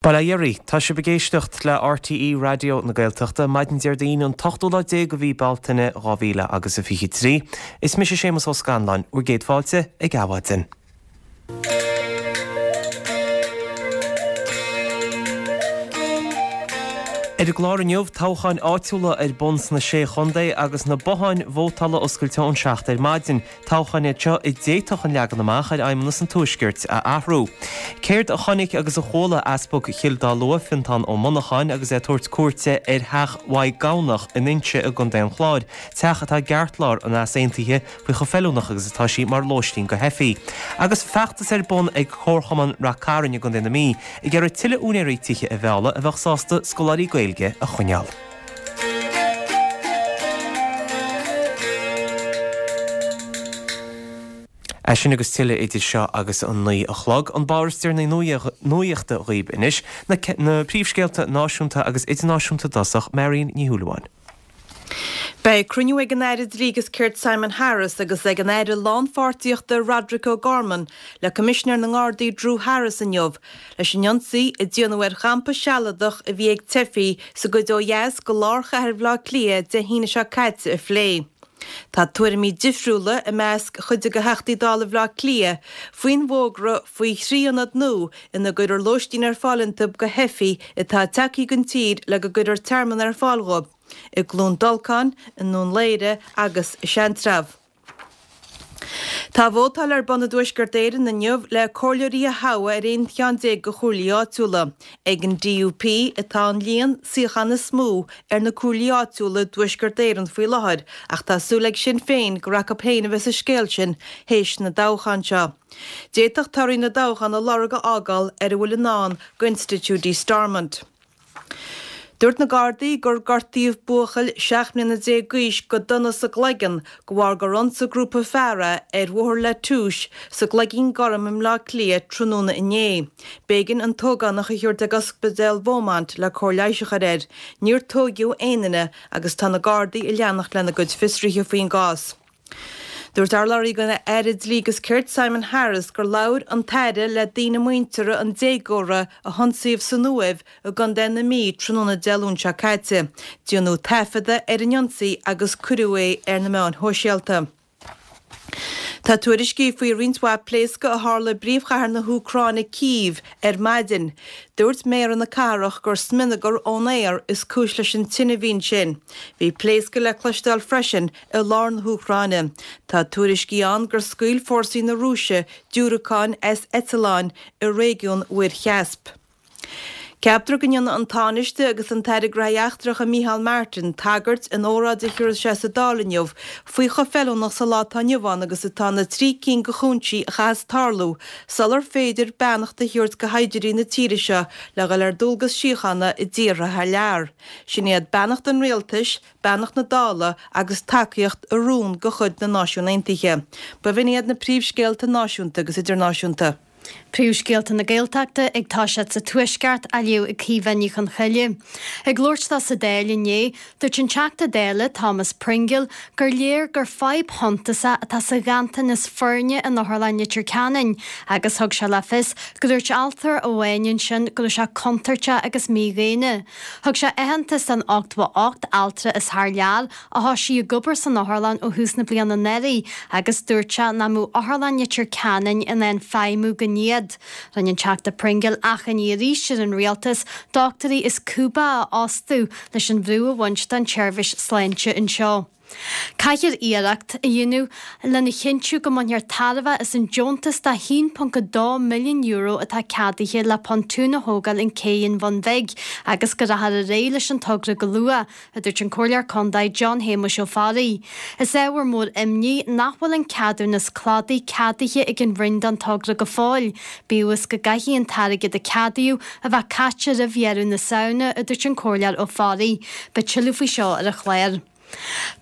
Bail ó Dhia oraibh, tá sibh ag éisteacht le RTÉ Raidió na Gaeltachta, maidin Déardaoin an t-ochtú lá déag de mhí Bealtaine 2000 agus a 23. Is mise Séamus Ó Scanláin, bhur gcéad fáilte ag Adhmhaidin. Ar an gclár inniu, toghcháin áitiúla ar bun sna Sé Chontae agus na botháin vótála oscailte ón 7 ar maidin. Toghcháin iad seo a d'fhéadfadh an leagan amach ar Fheidhmeannas an Tuaiscirt a athrú. Céard a chonaic agus a chuala Easpag Chill Dá Lua, Fiontán Ó Monacháin, agus é ag tabhairt cuairte ar theach Mhaigh Gabhnach in Inse i gContae an Chláir, teach atá i gceartlár an easaontaithe faoi chomh feiliúnach agus atá sí mar lóistín do theifigh. Agus feachtas ar bun ag Comharchumann Rath Cairn i gContae na Mí ag iarraidh tuilleadh úinéirí tithe a mhealladh a bheadh sásta scoláirí Gaeilge a choinneáil. É sin agus tuilleadh idir seo agus an 9 a chlog. An barr is deireanaí nuachta dhaoib anois, na príomhscéalta náisiúnta agus idirnáisiúnta i dtosach, Marion Ní Shúilleabháin. Beidh cruinniú ag an Aire Dlí agus Cirt Simon Harris agus ag an Aire Lánpháirtíochta Roderic O'Gorman le Coimisinéir na nGardaí Drew Harris inniu leis an ionsaí a déanadh ar champa sealadach a bhí ag teifigh sa gcuid ó dheas de lár chathair Bhaile Átha Cliath Dé hAoine seo caite a phlé. Tá tuairimí difriúla i measc chuid de Theachtaí Dála Bhaile Átha Cliath faoin bhfógra faoi thrí ionad nua ina gcuirfear lóistín ar fáil iontu do theifigh atá tagtha den tír le go gcuirfear tearmann ar fáil dhóibh, i gCluain Dolcáin, i nDún Laoghaire agus i Seantrabh. Tá vótáil ar bun i dTuaisceart Éireann inniu le comhairleoirí a thoghadh ar 11 cheann de chomhairlí áitiúla. Ag an DUP atá an líon suíochán is mó ar na comhairlí áitiúla i dTuaisceart Éireann faoi láthair ach tá súil ag Sinn Féin gur acu féin a bheas an scéal sin théis na dtoghchán seo. D'fhéadfadh torthaí na dtoghchán a lorg a fhágáil ar a bhfuil i ndán d'institiúidí Stormont. Dúirt na Gardaí gur gortaíodh buachaill 17 mbliana d'aois go dona sa gcloigeann de bharr gur ionsaigh grúpa fear é ar Bhóthar La Touche sa gCloigín Gorm i mBleá Cliath tráthnóna inné. B'éigean an t-ógánach a thabhairt ag Ospidéal Beaumont le cóir leighis a chur air. Níor tóigeadh aon duine agus tá na Gardaí ag leanacht lena gcuid fiosruithe faoin gcás. Dúirt urlabhraí don Aire Dlí agus Cirt Simon Harris gur labhair an tAire le daoine muinteartha an déagóra a hionsaíodh san Uaimh i gContae na Mí tráthnóna Dé Luain seo caite. Déanadh taifeadadh ar an ionsaí agus cuireadh é ar na meáin shóisialta. Tá tuairiscí faoi roinnt mhaith pléascadh a tharla i bpríomhchathair na hÚcráine, Cív, ar maidin. Dúirt méara na cathrach gur smionagar ón aer is cúis leis an tine a bhí ansin. Bhí pléascadh le cloisteáil freisin i lár na hÚcráine. Tá tuairiscí ann gur scaoil fórsaí na Rúise diúracáin as eitleáin i réigiún Mhuir Chaisp. Ceaptar go ndéanfaidh an Tánaiste agus an tAire Gnóthaí Eachtracha Micheál Martin tagairt in óráid a thabharfaidh sé sa Dáil inniu faoi chomh feiliúnach sa lá atá inniu ann agus atá na trí cinn de chúinsí a chaithfeas tarlú sular féidir beannacht a thabhairt do shaighdiúirí na tíre seo le dhul ar dualgas síochána i dtíortha thar lear. Sin iad beannacht an rialtais, beannacht na Dála agus tacaíocht i rún de chuid na Náisiún Aontaithe. B'in iad na príomhscéalta náisiúnta agus idirnáisiúnta. Príomhscéalta na Gaeltachta ag toiseacht sa Tuaisceart á léamh ag Caoimhe Ní Chonchoille. Ag labhairt dó sa Dáil inné, dúirt an Teachta Dála Thomas Pringle gur léir gur fadhb shuntasach atá sa ghanntanas foirne in Otharlann Leitir Ceanainn agus thug sé le fios go dúirt altra amháin ansin go raibh sé contúirteach agus mídhaonna. Thug sé aitheantas don 88 altra as thar lear a thosaigh ag obair san otharlann ó thús na bliana anuraidh agus dúirt sé nach mbeadh Otharlann Leitir Ceanainn in ann feidhmiú gan iad. Rinne an Teachta Pringle achainí arís ar an Rialtas dochtúirí as Cúba a fhostú leis an bhrú a bhaint den tseirbhís sláinte anseo. Caithfear iarracht a dhéanamh lena chinntiú go mbainfear tairbhe as an deontas de €1.2 milliún atá ceadaithe le pontún a thógáil in Cé an Bhun Bhig agus go rachfar ar aghaidh leis an togra go luath, a dúirt an Comhairleoir Contae John Shéamuis Ó Fearraigh. Is ábhar mór imní nach bhfuil an ceadúnas cladaigh ceadaithe ag an Roinn don togra go fóill, bíodh is go gcaithfidh an t-airgead a ceadaíodh a bheith caite roimh dheireadh na Samhna, a dúirt an Comhairleoir Ó Fearraigh. Beidh tuilleadh faoi seo ar an chlár.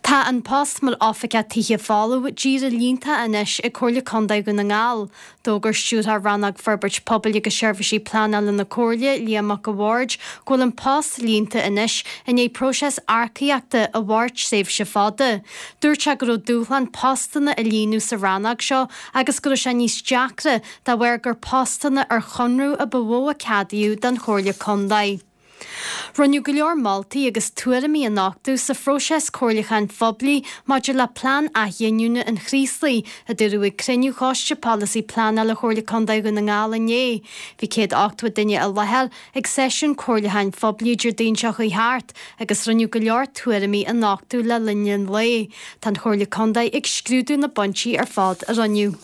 Tá an post mar Oifigeach Tithe Folamh díreach líonta anois ag Comhairle Contae Dhún na nGall. D'fhógair Stiúrthóir Rannóg Forbairt Pobail agus Seirbhísí Pleanála na Comhairle, Liam Mac a' Bhaird, go bhfuil an post líonta anois i ndiaidh próiseas earcaíochta a mhair tréimhse fada. Dúirt sé go raibh dúshlán postanna a líonadh sa rannóg seo agus go raibh sé níos deacra dá bharr gur postanna ar chonradh a ba mhó a ceadaíodh don Chomhairle Contae. Rinneadh go leor moltaí agus tuairimí a nochtadh sa phróiseas comhairliúcháin phoiblí maidir le Plean Athghiniúna an Chraoslaigh, a dúradh ag cruinniú Choiste Polasaí Pleanála Chomhairle Contae Dhún na nGall inné. Bhí 180 duine i láthair ag seisiún comhairliúcháin phoiblí Déardaoin seo chuaigh thart agus rinneadh go leor tuairimí a nochtadh le linn an lae. Tá an Chomhairle Contae ag scrúdú na bpointí ar fad a rinneadh.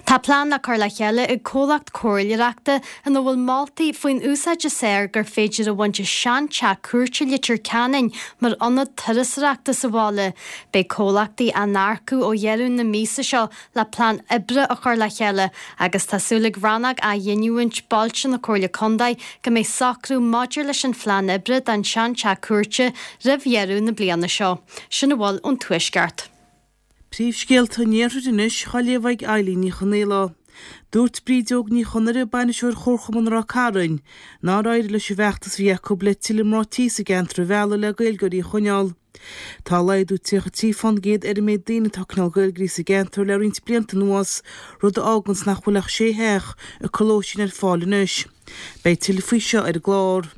Tá plean le cur le chéile ag comhlacht comhairleoireachta ina bhfuil moltaí faoin úsáid is fearr gur féidir a bhaint as seanteach cúirte Leitir Ceanainn mar ionad turasóireachta sa bhaile. Beidh comhlachtaí á n-earcú ó dheireadh na míosa seo le plean oibre a chur le chéile agus tá súil ag Rannóg Athghiniúint Bailte na Comhairle Contae go mbeidh socrú maidir leis an phlean oibre don seanteach cúirte roimh dheireadh na bliana seo. Sin a bhfuil ón Tuaisceart. Príomhscéalta an Iarthair anois á léamh ag Eilín Ní Chonaola. Dúirt Brídeog Ní Chonaire, bainisteoir Chomharchumann Ráth Cairn, nár éirigh leis an bhfeachtas a bhí acu le tuilleadh mná tí sa gceantar a mhealladh le Gaeilgeoirí a choinneáil. Tá laghdú 33 fán gcéad ar an méid daoine atá ag coinneáil Gaeilgeoirí sa gceantar le roinnt blianta anuas, rud a fháganns nach bhfuil ach sé theach ag cur lóistín ar fáil anois. Beidh tuilleadh faoi seo ar an gclár.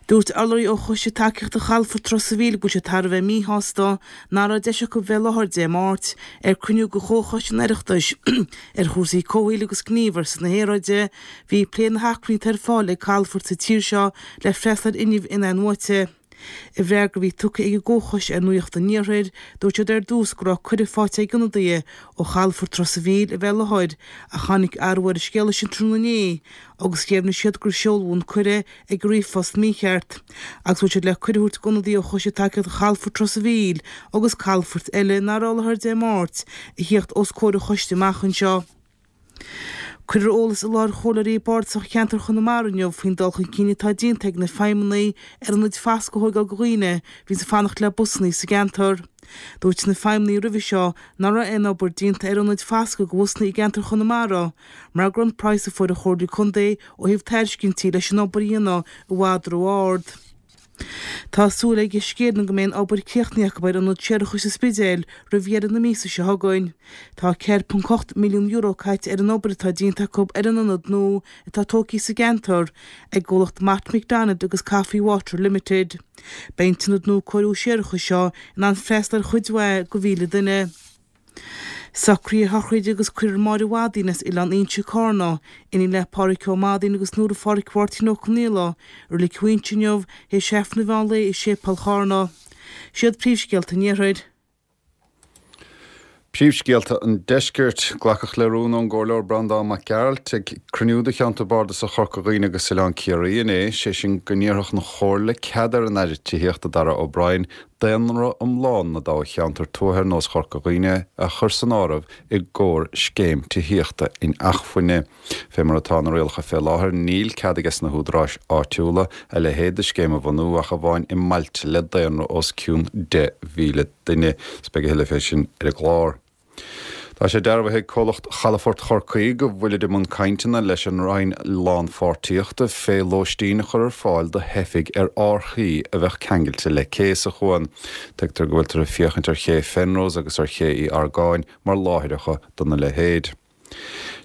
Dúirt urlabhraí ó Choiste Tacaíochta Chalafort Ros a' Mhíl go bhfuil siad thar a bheith míshásta nach raibh deis acu bheith i láthair Dé Máirt ar cruinniú de Chomhchoiste an Oireachtais ar chúrsaí comhshaoil agus gníomh ar son na haeráide. Bhí ag plé na hacmhainní atá ar fáil ag calafoirt sa tír seo le freastal ar fhuinneamh in-athnuaite. I bhfreagra a bhí tugtha ag an gComhchoiste ar Nuacht an Iarthair, dúirt siad ar dtús go raibh cuireadh faighte ag ionadaithe ó chalafort Ros a' Mhíl a bheith i láthair ach tháinig athrú ar an scéala sin tráthnóna inné agus dheimhnigh siad gur seoladh an cuireadh ag ríomhphost mícheart agus go bhfuil siad le cuireadh a thabhairt d'ionadaithe ó Choiste Tacaíochta Chalafort Ros a' Mhíl agus calafoirt eile nach raibh i láthair Dé Máirt a thíocht os comhair an choiste amach anseo. Cuirfear eolas i láthair Chomhairleoirí Bardasach Cheantar Chonamara inniu faoin dul chun cinn atá déanta ag na feidhmeannaigh ar ionaid foscaidh a thóigeáil do dhaoine a bhíonns ag fanacht le busannaí sa gceantar. Dúirt na feidhmeannaigh roimhe seo nach raibh aon obair déanta ar ionaid foscaidh do bhusannaí i gceantar Chonamara mar go raibh an praghas a fuair an Chomhairle Contae ó thaobh tairiscintí leis an obair a dhéanamh i bhfad ró-ard. Tá súil ag Uisce Éireann go mbeidh an obair críochnaithe acu ar ionad séarachais sa Spidéal roimh dheireadh na míosa seo chugainn. Tá €4.8 milliún caite ar an obair atá déanta acu ar an ionad nua atá tógtha sa gceantar ag an gcomhlacht Mott MacDonald agus Coffey Water Limited. Beidh an t-ionad nua cóiriú séarachais seo in ann freastal ar chuid mhaith de mhíle duine. Socruithe a shochraide agus cuirfear Máire Mhadaín as Oileán Fhínse, Cárna, iníon le Pádhraic Ó Madaín agus Nóra Phádhraic Mháirtín Ó Conaola, i Reilig Mhaínse inniu, théis Aifreann an mheán lae i Séipéal Chárna. Siad príomhscéalta an Iarthair. Príomhscéalta an Deiscirt. Glacadh le rún ón gComhairleoir Breandán Mac Gearailt ag cruinniú de Cheantar Bardasach Chorca Dhuibhne agus Oileán Ciarraí inné, sé sin go n-iarrfadh an Chomhairle cead ar an Aire Tithíochta Darragh O'Brien daonra iomlán na dtoghcheantar tuaithe ar nós Chorca Dhuibhne a chur san áireamh i gcomhair scéim tithíochta inacmhainne. Fé mar atá na rialacha fé láthair níl cead ages na húdaráis áitiúla a leithéid de scéim a bhunú ach amháin i mbailte le daonra os cionn 10,000 duine. 'S beidh a thuilleadh fé sin ar an gclár. Tá sé dearbhaithe ag comhlacht Chalafort Chorcaí go bhfuilid i mbun cainteanna leis an Roinn Lánpháirtíochta fé lóistín a chur ar fáil do theifigh ar árthaí a bheadh ceangailte le cé sa chuan. Tuigtear go bhfuiltear ag féachaint ar ché Phenrose agus ar ché Uí Argáin mar láithreacha dona leithéid.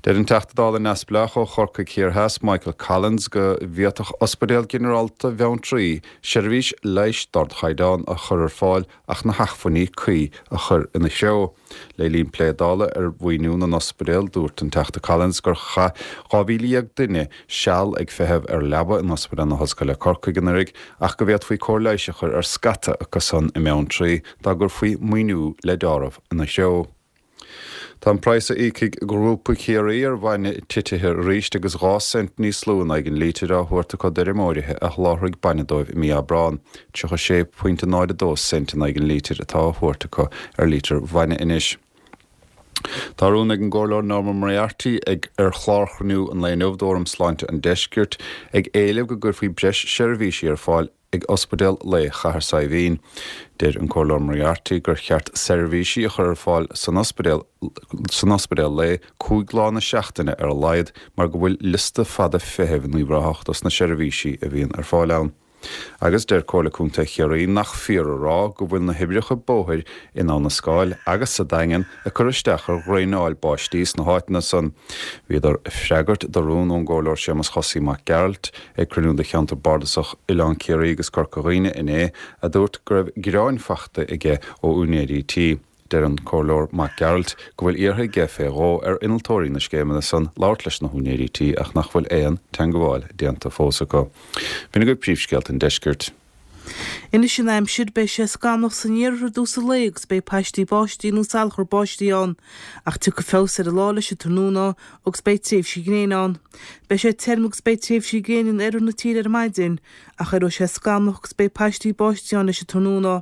Deir an Teachta Dála neamhspleách ó Chorcaigh Thiar Theas, Michael Collins, go bhféadfadh Ospidéal Ginearálta Bheanntraí seirbhís leighis d'ardchaighdeán a chur ar fáil ach na hacmhainní cuí a chur ina threo. Le linn plé Dála ar mhaoiniú na n-ospidéal, dúirt an Teachta Collins gur chaith 12,000 duine seal ag feitheamh ar leaba in Ospidéal na hOllscoile Corcaigh anuraidh ach go bhféadfaí cóir leighis a chur ar scata acu san i mBeanntraí dá gcuirfí maoiniú le deáramh ina threo. Tá an praghas a íocfaidh Grúpa Chiarraí ar bhainne titithe arís agus 2 cent níos lú in aghaidh an lítir á thabhairt acu d'fheirmeoirithe a sholáthraigh bainne dóibh i mí Aibreán. 36.02 cent in aghaidh an lítir atá á thabhairt acu ar lítir bhainne anois. Tá rún ag an gComhairleoir Norma Moriarty ag ar chlár chruinniú an lae inniu d'Fhóram Sláinte an Deiscirt ag éileamh go gcuirfí breis seirbhísí ar fáil. ag Ospidéal Lae Chathair Saidhbhín. Deir an Comhairleoir Moriarty gur cheart seirbhísí a chur ar fáil san ospidéal san ospidéal lae 5 lá na seachtaine ar a laghad mar go bhfuil liosta fada feithimh in Uíbh Ráthach dos na seirbhísí a bhíonn ar fáil ann. Agus deir Comhairle Contae Chiarraí nach fíor a rá go bhfuil na hoibreacha bóthair in Abha na Scáil agus sa Daingean ag cur isteach ar dhraenáil báistí sna háiteanna san. Bhíodar ag freagairt do rún ón gComhairleoir Séamus Chosaí Mac Gearailt ag cruinniú de Cheantar Bardasach Oileán Ciarraí agus Corca Dhuibhne inné a dúirt go raibh gearáin faighte aige ó úinéirí tí. Deir an Comhairleoir Mac Gearailt go bhfuil iarrtha aige fé dhó ar innealtóirí na scéimeanna san labhairt leis na húinéirí tí ach nach bhfuil aon teangabháil déanta fós acu. B'in agaibh príomhscéalta an deiscirt. Anois an aimsir, beidh sé scamallach san iarthar i dtús an lae agus beidh paistí báistí nó salachar báistí ann, ach tiocfaidh feabhas ar an lá leis an tráthnóna agus beidh tréimhsí gréine ann. Beidh sé tirim agus beidh tréimhsí gréine in oirthear na tíre ar maidin, ach éireoidh sé scamallach agus beidh paistí báistí ann leis an tráthnóna.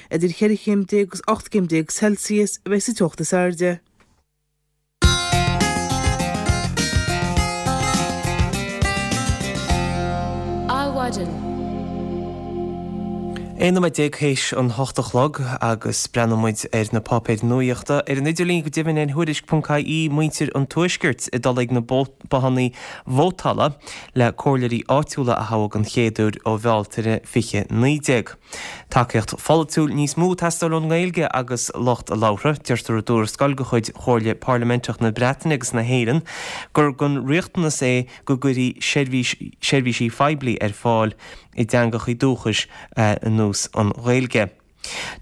Idir cheithre chéim déag agus 18 gcéim Celsius a bheidh sa teocht is airde. Adhmhaidin. 11 nóiméad théis an hocht a chlog agus breathnóidh muid ar na páipéir nuaíochta ar an idirlíon go deimhin ar Thuairisc.ie muintir an Tuaiscirt ag dul ag na bothanna vótála le comhairleoirí áitiúla a thoghadh den chéad uair ó Bhealtaine 2019. Tacaíocht pholaitiúil níos mó ag teastáil ón nGaeilge agus lucht a labhartha. Deirtear i dtuarascáil de chuid Chomhairle Parlaiminteach na Breataine agus na hÉireann gur den riachtanas é go gcuirfí seirbhísí poiblí ar fáil i dteangachaí dúchais ar nós an Ghaeilge.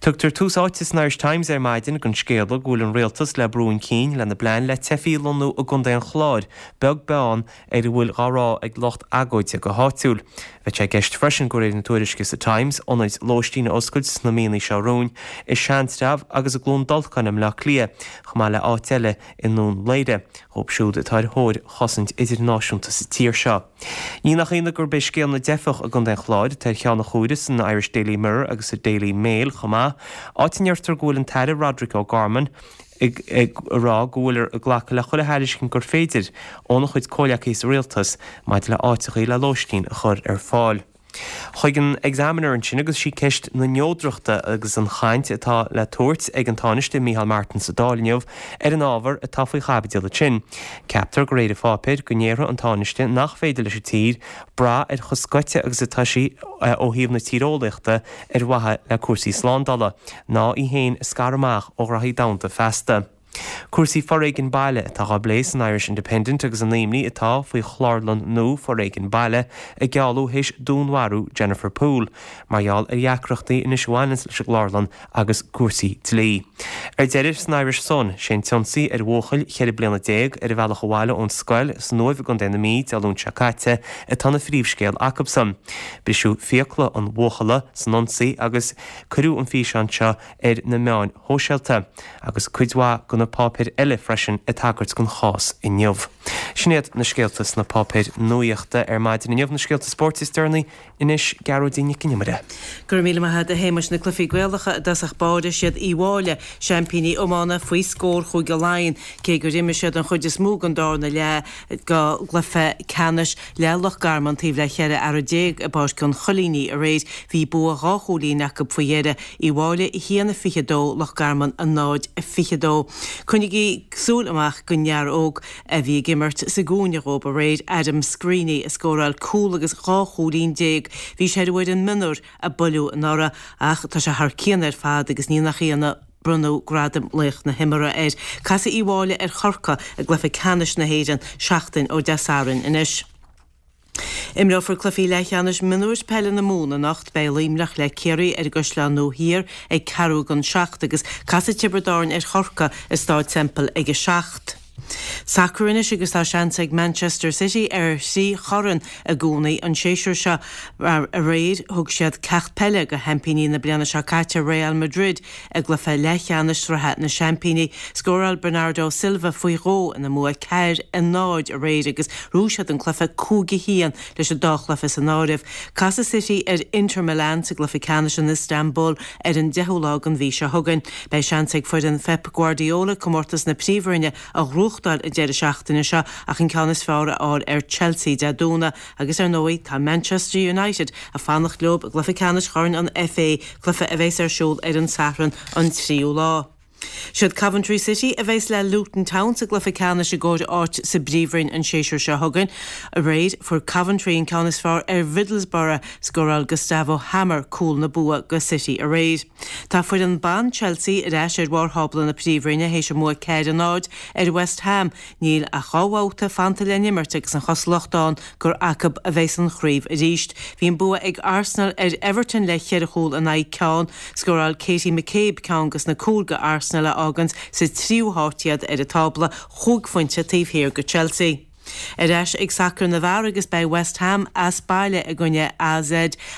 Tugtar tús áite san Irish Times ar maidin don scéala go bhfuil an rialtas le brú chun cinn lena bplean le teifigh a lonnú i gContae an Chláir, beag beann ar a bhfuil dhá rá ag lucht agóide go háitiúil. Bheadh sé i gceist freisin, de réir na tuairisce sa Times, ionaid lóistín a oscailt sna míonna seo romhainn i Seantrabh agus i gCluain Dolcáin i mBleá Cliath, chomh maith le áit eile i nDún Laoghaire, dhóibh siúd atá ar thóir chosaint idirnáisiúnta sa tír seo. Ní nach ionadh gurb é scéal na dteifeach i gContae an Chláir atá ar cheann na huaire san Irish Daily Mirror agus sa Daily Mail chomh maith, áit a ndeirtear go bhfuil an tAire Roderic O'Gorman ag rá go bhfuiltear ag glacadh le chuile thairiscint gur féidir óna chuid comhleacaithe sa rialtas maidir le áiteachaí le lóistín a chur ar fáil. Chuig an Examiner ansin agus sí ceist na neodrachta agus an chaint atá le tabhairt ag an Tánaiste Micheál Martin sa Dáil inniu ar an ábhar atá faoi chaibidil ansin. Ceaptar de réir an pháipéir go ndéarfaidh an Tánaiste nach féidir leis an tír brath ar chomh scoite agus atá sí ó thaobh na tíreolaíochta ar mhaithe le cúrsaí slándála, ná í féin a scaradh amach ó ghraithí domhanda feasta. Cúrsaí foréigin baile atá á bplé san Irish Independent agus an imní atá faoi chlárlann nua foréigin baile ag gealú théis dúnmharú Jennifer Poole, mar gheall ar dheacrachtaí anois a bhaineanns leis an gclárlann agus cúrsaí dlí. Ar deireadh, san Irish Sun, sé an t-ionsaí ar bhuachaill 14 bliana ar a bhealach abhaile ón scoil san Uaimh i gContae na Mí Dé Luain seo caite atá ina phríomhscéal acubsan. Briseadh fiacla an bhuachalla san ionsaí agus cuireadh an físeán seo ar na meáin shóisialta agus cuid mhaith de na páipéir eile freisin ag tagairt don chás inniu. Sin iad na scéalta sna páipéir nuaíochta ar maidin inniu. Na scéalta spóirt is deireanaí Anois, Gearóidín Nic an Iomaire. Go raibh míle maith agat a Shéamais. Na cluichí Gaelacha i dtosach báire, siad Uíbh Fhailí, seaimpíní iomána, faoi scór Chúige Laighean, cé gur imir siad an chuid is mó den darna leath go gcluiche ceannais le Loch Garman taobh le 14 fhear i bPáirc an Choilínigh aréir. Bhí bua dhá chúilín acu faoi dheireadh, Uíbh Fhailí 1-22, Loch Garman 0-22. Coinnigí súil amach don fhear óg a bhí ag imirt sa gcúinne dhóibh aréir, Adam Screeney, a scóráil cúl agus 12 chúilín. Bhí sé ar an bhfoireann mionúir a buaileadh anuraidh ach tá sé thar cionn ar fad agus ní nach ionadh bronnadh gradam Laoch na hImeartha air. Casfaidh Uíbh Fhailí ar Chorcaigh i gcluiche ceannais na hÉireann seachtain ó Dé Sathairn anois. Imreofar cluichí leathcheannais mionúir peile na Mumhan anocht. Beidh Luimneach le Ciarraí ar an gCaisleán Nua Thiar ag ceathrú don seacht agus casfaidh Tiobraid Árann ar Chorcaigh i Stáid Semple ag a seacht. Sacar anois agus tá seans ag Manchester City ar thrí chorn i gcónaí an séasúr seo. Aréir thug siad ceacht peile do sheaimpíní na bliana seo caite Real Madrid i gcluiche leathcheannais Sraithe na Seaimpíní. Scóráil Bernardo Silva faoi dhó ina mbua 4, 0 aréir agus ghnóthaigh siad an cluiche 5, 1 leis an dá chluiche san áireamh. Casfaidh City ar Inter Milan sa gcluiche ceannais in Istanbul ar an 10ú lá den mhí seo chugainn. Beidh seans ag foireann Phep Guardiola comórtas na Príomhroinne a ghnóthachtáil. ghnóthachtáil an deireadh seachtaine seo ach an ceann is fearr a fháil ar Chelsea Dé Domhnaigh agus ar ndóigh tá Manchester United ag fanacht leo i gcluiche ceannais Chorn an FA, cluiche a bheas ar siúl ar an Satharn an tríú lá. Siad Coventry City a bheas le Luton Town sa gcluiche ceannais i gcomhair áit sa bPríomhroinn an séasúr seo chugainn. Aréir, fuair Coventry an ceann is fearr ar Mhiddlesborough. Scóráil Gustavo Hamer cúl na bua go City aréir. Tá foireann ban Chelsea ar ais ar bharr thábla na Príomhroinne théis a mbua 4, 0 ar West Ham. Níl ach 2 bhabhta fanta le n-imirt agus an chosúlacht ann gur acu a bheas an chraobh arís. Bhí an bua ag Arsenal ar Everton le cheithre chúl in aghaidh ceann. Scóráil Katie McCabe ceann dos na cúil go Arsenal a fháganns sa tríú háit iad ar an tábla, chúig phointe taobh thiar go Chelsea. Ar ais ag sacar na bhfear agus beidh West Ham as baile i gcoinne AZ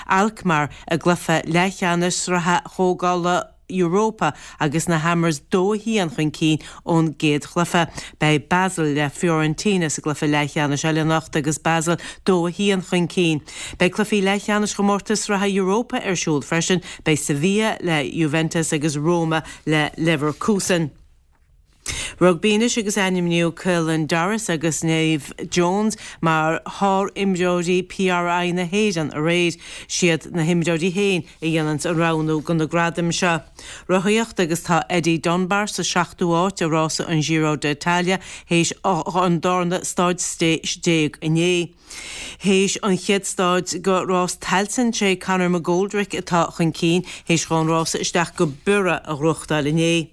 Alkmaar i gcluiche leathcheannais Sraithe Chomhdhála Europa agus na Hammers 2, 1 chun cinn ón gcéad chluiche. Beidh Basel le Fiorentina sa gcluiche leathcheannais eile anocht agus Basel 2, 1 chun cinn. Beidh cluichí leathcheannais chomórtas sraithe Europa ar siúl freisin, beidh Sevilla le Juventus agus Roma le Leverkusen. Rugbaí anois agus ainmníodh Caelan Doris agus Niamh Jones mar shár-imreoirí PRI na hÉireann aréir. Siad na himreoirí féin a dhéananns an roghnú go na gradaim seo. Rothaíocht agus tá Eddie Dunbar sa seachtú háit i rása an Giro d'Italia théis an darna staid déag inné. Théis an chéad staid go rás Tailteann sé Conor McGoldrick atá chun cinn théis dhó an rása isteach go Biorra a ghnóthachtáil inné.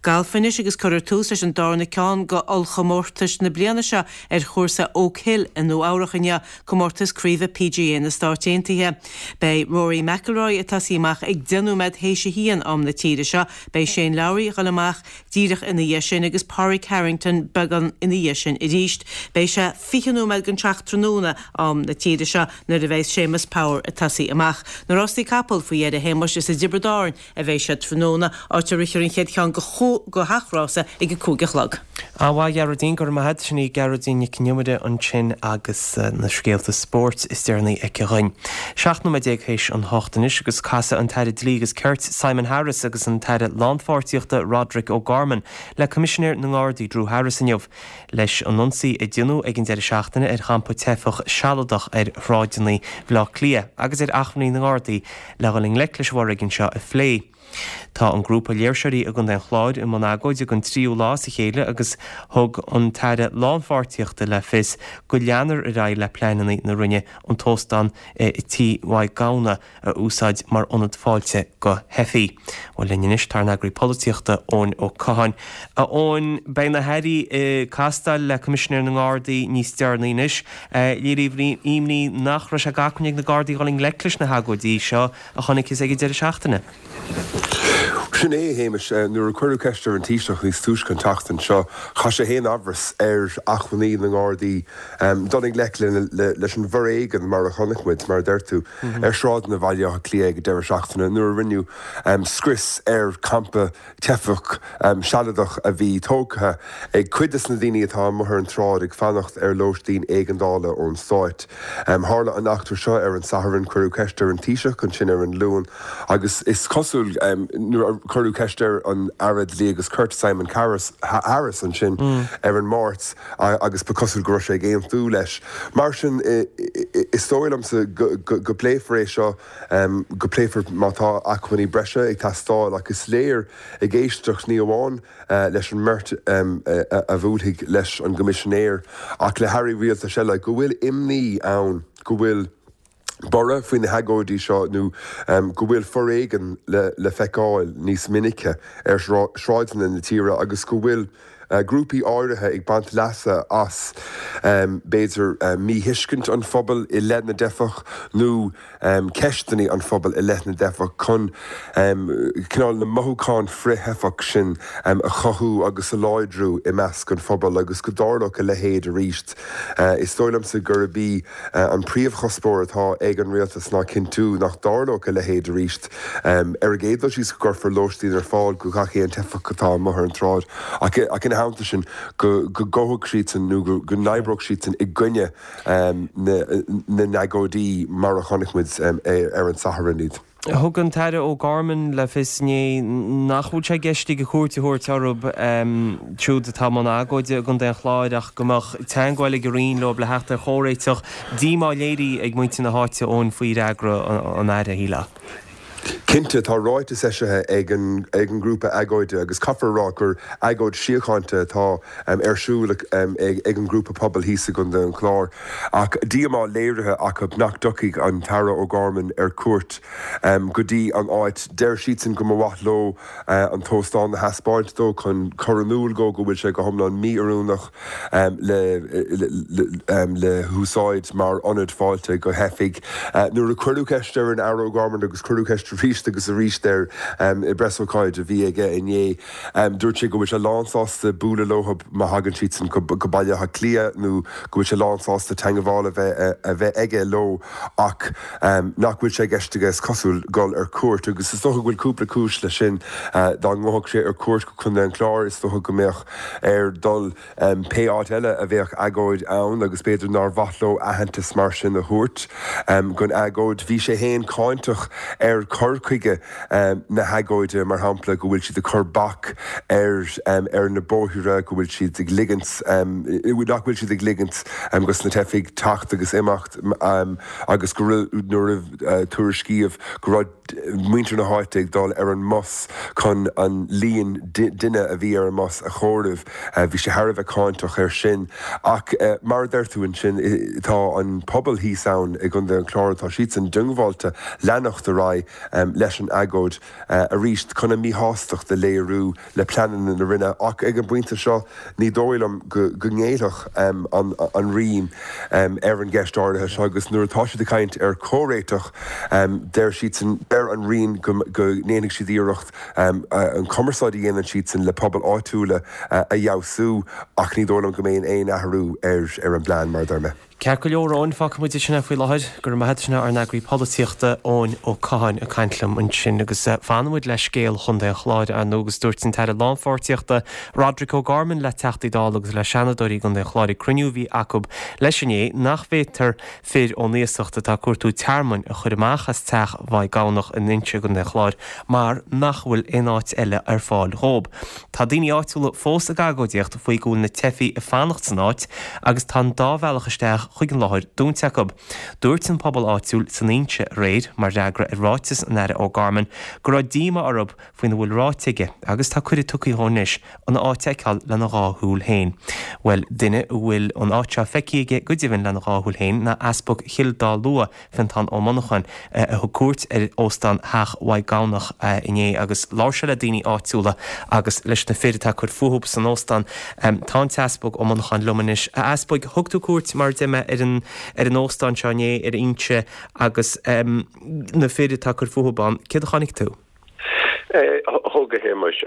Galf anois agus cuirfear tús leis an darna ceann go ollchomórtais na bliana seo ar chúrsa Oak Hill i Nua Eabhrach inniu, comórtas craoibhe PGA na Stáit Aontaithe. Beidh Rory McIlroy ag tosaí amach ag 10 nóiméad théis a haon am na tíre seo, beidh Shane Lowry ag dul amach díreach ina dhiaidh sin agus Pádraig Harrington beagán ina dhiaidh sin arís. Beidh sé 20 nóiméad don seacht tráthnóna am na tíre seo nuair a bheidh Séamus Power ag tosaí amach. Na rástaí capall faoi dheireadh a Shéamuis is i dTiobraid Árann a bheidh siad tráthnóna, áit a rithfear an chéad cheann go gach rása ag a 5 a chlog. An-mhaith, a Ghearóidín, go raibh maith agat. Sin í Gearóidín Nic an Iomaire ansin agus na scéalta spóirt is deireanaí aici dhuinn. 17 nóiméad théis an hocht anois agus casfaidh an tAire Dlí agus Cirt Simon Harris agus an tAire Lánpháirtíochta Roderic O'Gorman le Coimisinéir na nGardaí Drew Harris inniu leis an ionsaí a déanadh ag an deireadh seachtaine ar champa teifeach sealadach ar shráideanna Bhaile Átha Cliath agus ar acmhainní na nGardaí le dhul i ngleic leis an bhforéigean seo a phlé. Tá an grúpa léirseoirí i gContae an Chláir i mbun agóide don tríú lá as a chéile agus thug an tAire Lánpháirtíochta le fios go leanfar ar aghaidh le pleananna na Roinne an t-óstán i Tí Mhaigh Gamhna a úsáid mar ionad fáilte go theifigh. Bhuel linn anois tá ár n-eagraí polaitíochta Eoin Ó Catháin. A Eoin, beidh na hairí ag castáil le Coimisinéir na nGardaí níos deireanaí anois. Léiríodh imní nach raibh sé d'acmhainn ag na Gardaí dhul i ngleic leis na hagóidí seo a chonacthas ag an deireadh seachtaine. Sin é, a Shéamais. Nuair a cuireadh ceist ar an Taoiseach níos túisce an tseachtain seo, chaith sé féin amhras ar acmhainní na nGardaí dul i ngleic leis an bhforéigean mar a chonaic muid, mar a deir tú, ar shráideanna Bhaile Átha Cliath ag an deireadh seachtaine nuair a rinneadh scrios ar champa teifeach sealadach a bhí tógtha ag cuid de na daoine atá amuigh ar an tsráid ag fanacht ar lóistín éigeandála ón Stáit. Tharla an eachtra seo ar an Satharn, cuireadh ceist ar an Taoiseach ansin ar an Luan agus is cosúil nuair a cuireadh ceist ar an Aire Dlí agus Cirt Simon Harris ansin ar an Máirt agus ba cosúil go raibh sé ag aontú leis. Mar sin is dóigh liomsa go bpléifear é seo. go bpléifear má tá acmhainní breise ag teastáil ach is léir ag éisteacht ní amháin leis an mbeirt a bhuailfidh leis an gCoimisinéir ach le hairí rialtais eile go bhfuil imní ann go bhfuil borradh faoi na hagóidí seo nó go bhfuil foréigean le feiceáil níos minice ar shráideanna na tíre agus go bhfuil grúpaí áirithe ag baint leasa as, b'fhéidir, míthuiscint an phobail i leith na dteifeach nó ceisteanna an phobail i leith na dteifeach chun cineál na mothúcháin frith-theifeach sin a chothú agus a láidriú i measc an phobail agus go dtarlódh a leithéid arís. Is dóigh liomsa gurb í an príomhchuspóir atá ag an rialtas ná cinntiú nach dtarlódh a leithéid arís. Ar an gcéad dul síos go gcuirfear lóistín ar fáil go gach aon teifeach atá amuigh ar an tsráid ach ina theannta sin go ngabhfadh siadsan nó go n-oibreodh siadsan i gcoinne na n-agóidí mar a chonaic muid ar an Satharn iad. Thug an tAire O'Gorman le fios inné nach bhfuil sé i gceist aige cuairt a thabhairt orthu siúd atá i mbun agóide i gContae an Chláir ach go mbeadh teagmháil ag an Roinn leo le theacht ar chomhréiteach. Díomá léirithe ag muintir na háite, Eoin, faoi fhreagra an Aire, shílfeá. Cinnte, tá ráiteas eisithe ag an ngrúpa agóide agus caithfear a rá gur agóid síochánta atá ar siúl ag an ngrúpa pobail thíos i gContae an Chláir ach díomá léirithe acu nach dtiocfaidh an tAire O'Gorman ar cuairt go dtí an áit. Deir siadsan go mba mhaith leo an t-óstán a thaispeáint dó chun cur in iúl dhó go bhfuil sé go hiomlán mí-oiriúnach le húsáid mar ionad fáilte go theifigh. Nuair a cuireadh ceist ar an Aire O'Gorman, agus cuireadh ceist arís agus arís air i bpreasócáid a bhí aige inné, dúirt sé go bhfuil sé lánsásta bualadh leo má thagann siadsan go Baile Átha Cliath nó go bhfuil sé lánsásta teagmháil a bheith aige leo ach nach bhfuil sé i gceist aige, is cosúil, dul ar cuairt. Agus is dócha go bhfuil cúpla cúis leis sin. Dá ngabhfadh sé ar cuairt go Contae an Chláir, is dócha go mbeadh air dul pé áit eile a bheadh agóid ann agus b'fhéidir nár mhaith leo aitheantas mar sin a thabhairt don agóid. Bhí sé féin cáinteach ar chur chuige na hagóide, mar shampla, go bhfuil siad ag cur bac ar ar na bóithre, go bhfuil siad ag ligint, nach bhfuil siad ag ligint dos na teifigh teacht agus imeacht agus go raibh, nuair a tuairiscíodh go raibh muintir na háite ag dul ar an mbus chun an líon duine a bhí ar an mbus a chomhaireamh. Bhí sé thar a bheith cáinteach air sin. Ach mar a deir tú ansin, tá an pobal thíos ann i gContae an Chláir, tá siadsan diongbháilte leanacht ar aghaidh leis an agóid arís chun a míshástacht a léiriú le pleananna na Roinne ach ag an bpointe seo ní dóigh liom go ngéillfeadh an Roinn ar an gceist áirithe seo agus nuair atá siad ag caint ar chomhréiteach deir siadsan, deir an Roinn go ndéanfaidh siad iarracht an chumarsáid a dhéanann siadsan le pobail áitiúla a fheabhsú ach ní dóigh liom go mbeidh aon athrú ar an bplean mar a deir mé. Ceart go leor, Eoin, fágfaidh muid ansin é faoi láthair. Go raibh maith agat, sin ár n-eagraí polaitíochta, Eoin Ó Catháin, ag caint liom ansin. Agus fanfaidh muid le scéal Chontae an Chláir, ar ndóigh, agus dúirt an tAire Lánpháirtíochta, Roderic O'Gorman le Teachtaí Dála agus le Seanadóirí i gContae an Chláir ag cruinniú a bhí acu leis inné nach bhféadfar fir ón iasacht atá ag cuartú tearmainn a chur amach as teach Mhaigh Gabhnach in Inse i gContae an Chláir mar nach bhfuil aon áit eile ar fáil dhóib. Tá daoine áitiúla fós ag agóidíocht faoi go bhfuil na teifigh ag fanacht san áit agus tá an dá bhealach isteach chuig an láthair dúnta acu. Dúirt an pobal áitiúil san Inse aréir, mar fhreagra ar ráiteas an Aire O'Gorman, go raibh díomá orthu faoina bhfuil ráite aige agus tá cuireadh tugtha dhó anois an áit a fheiceáil lena dhá shúil féin. Bhuel, duine a bhfuil an áit seo feicthe aige go deimhin lena dhá shúil féin ná Easpag Chill Dá Lua, Fiontán Ó Monacháin, a thug cuairt ar Óstán Theach Mhaigh Gabhnach inné agus labhair sé le daoine áitiúla agus leis na fir atá ag cur fúthu san óstán. Tá an tEaspag Ó Monacháin liom anois. A Easpaig, thug tú cuairt, mar a deir mé, ar an ar an óstán seo inné ar Inse agus na fir atá ag cur fúthu ann. Céard a chonaic tú? Thug, a Shéamais,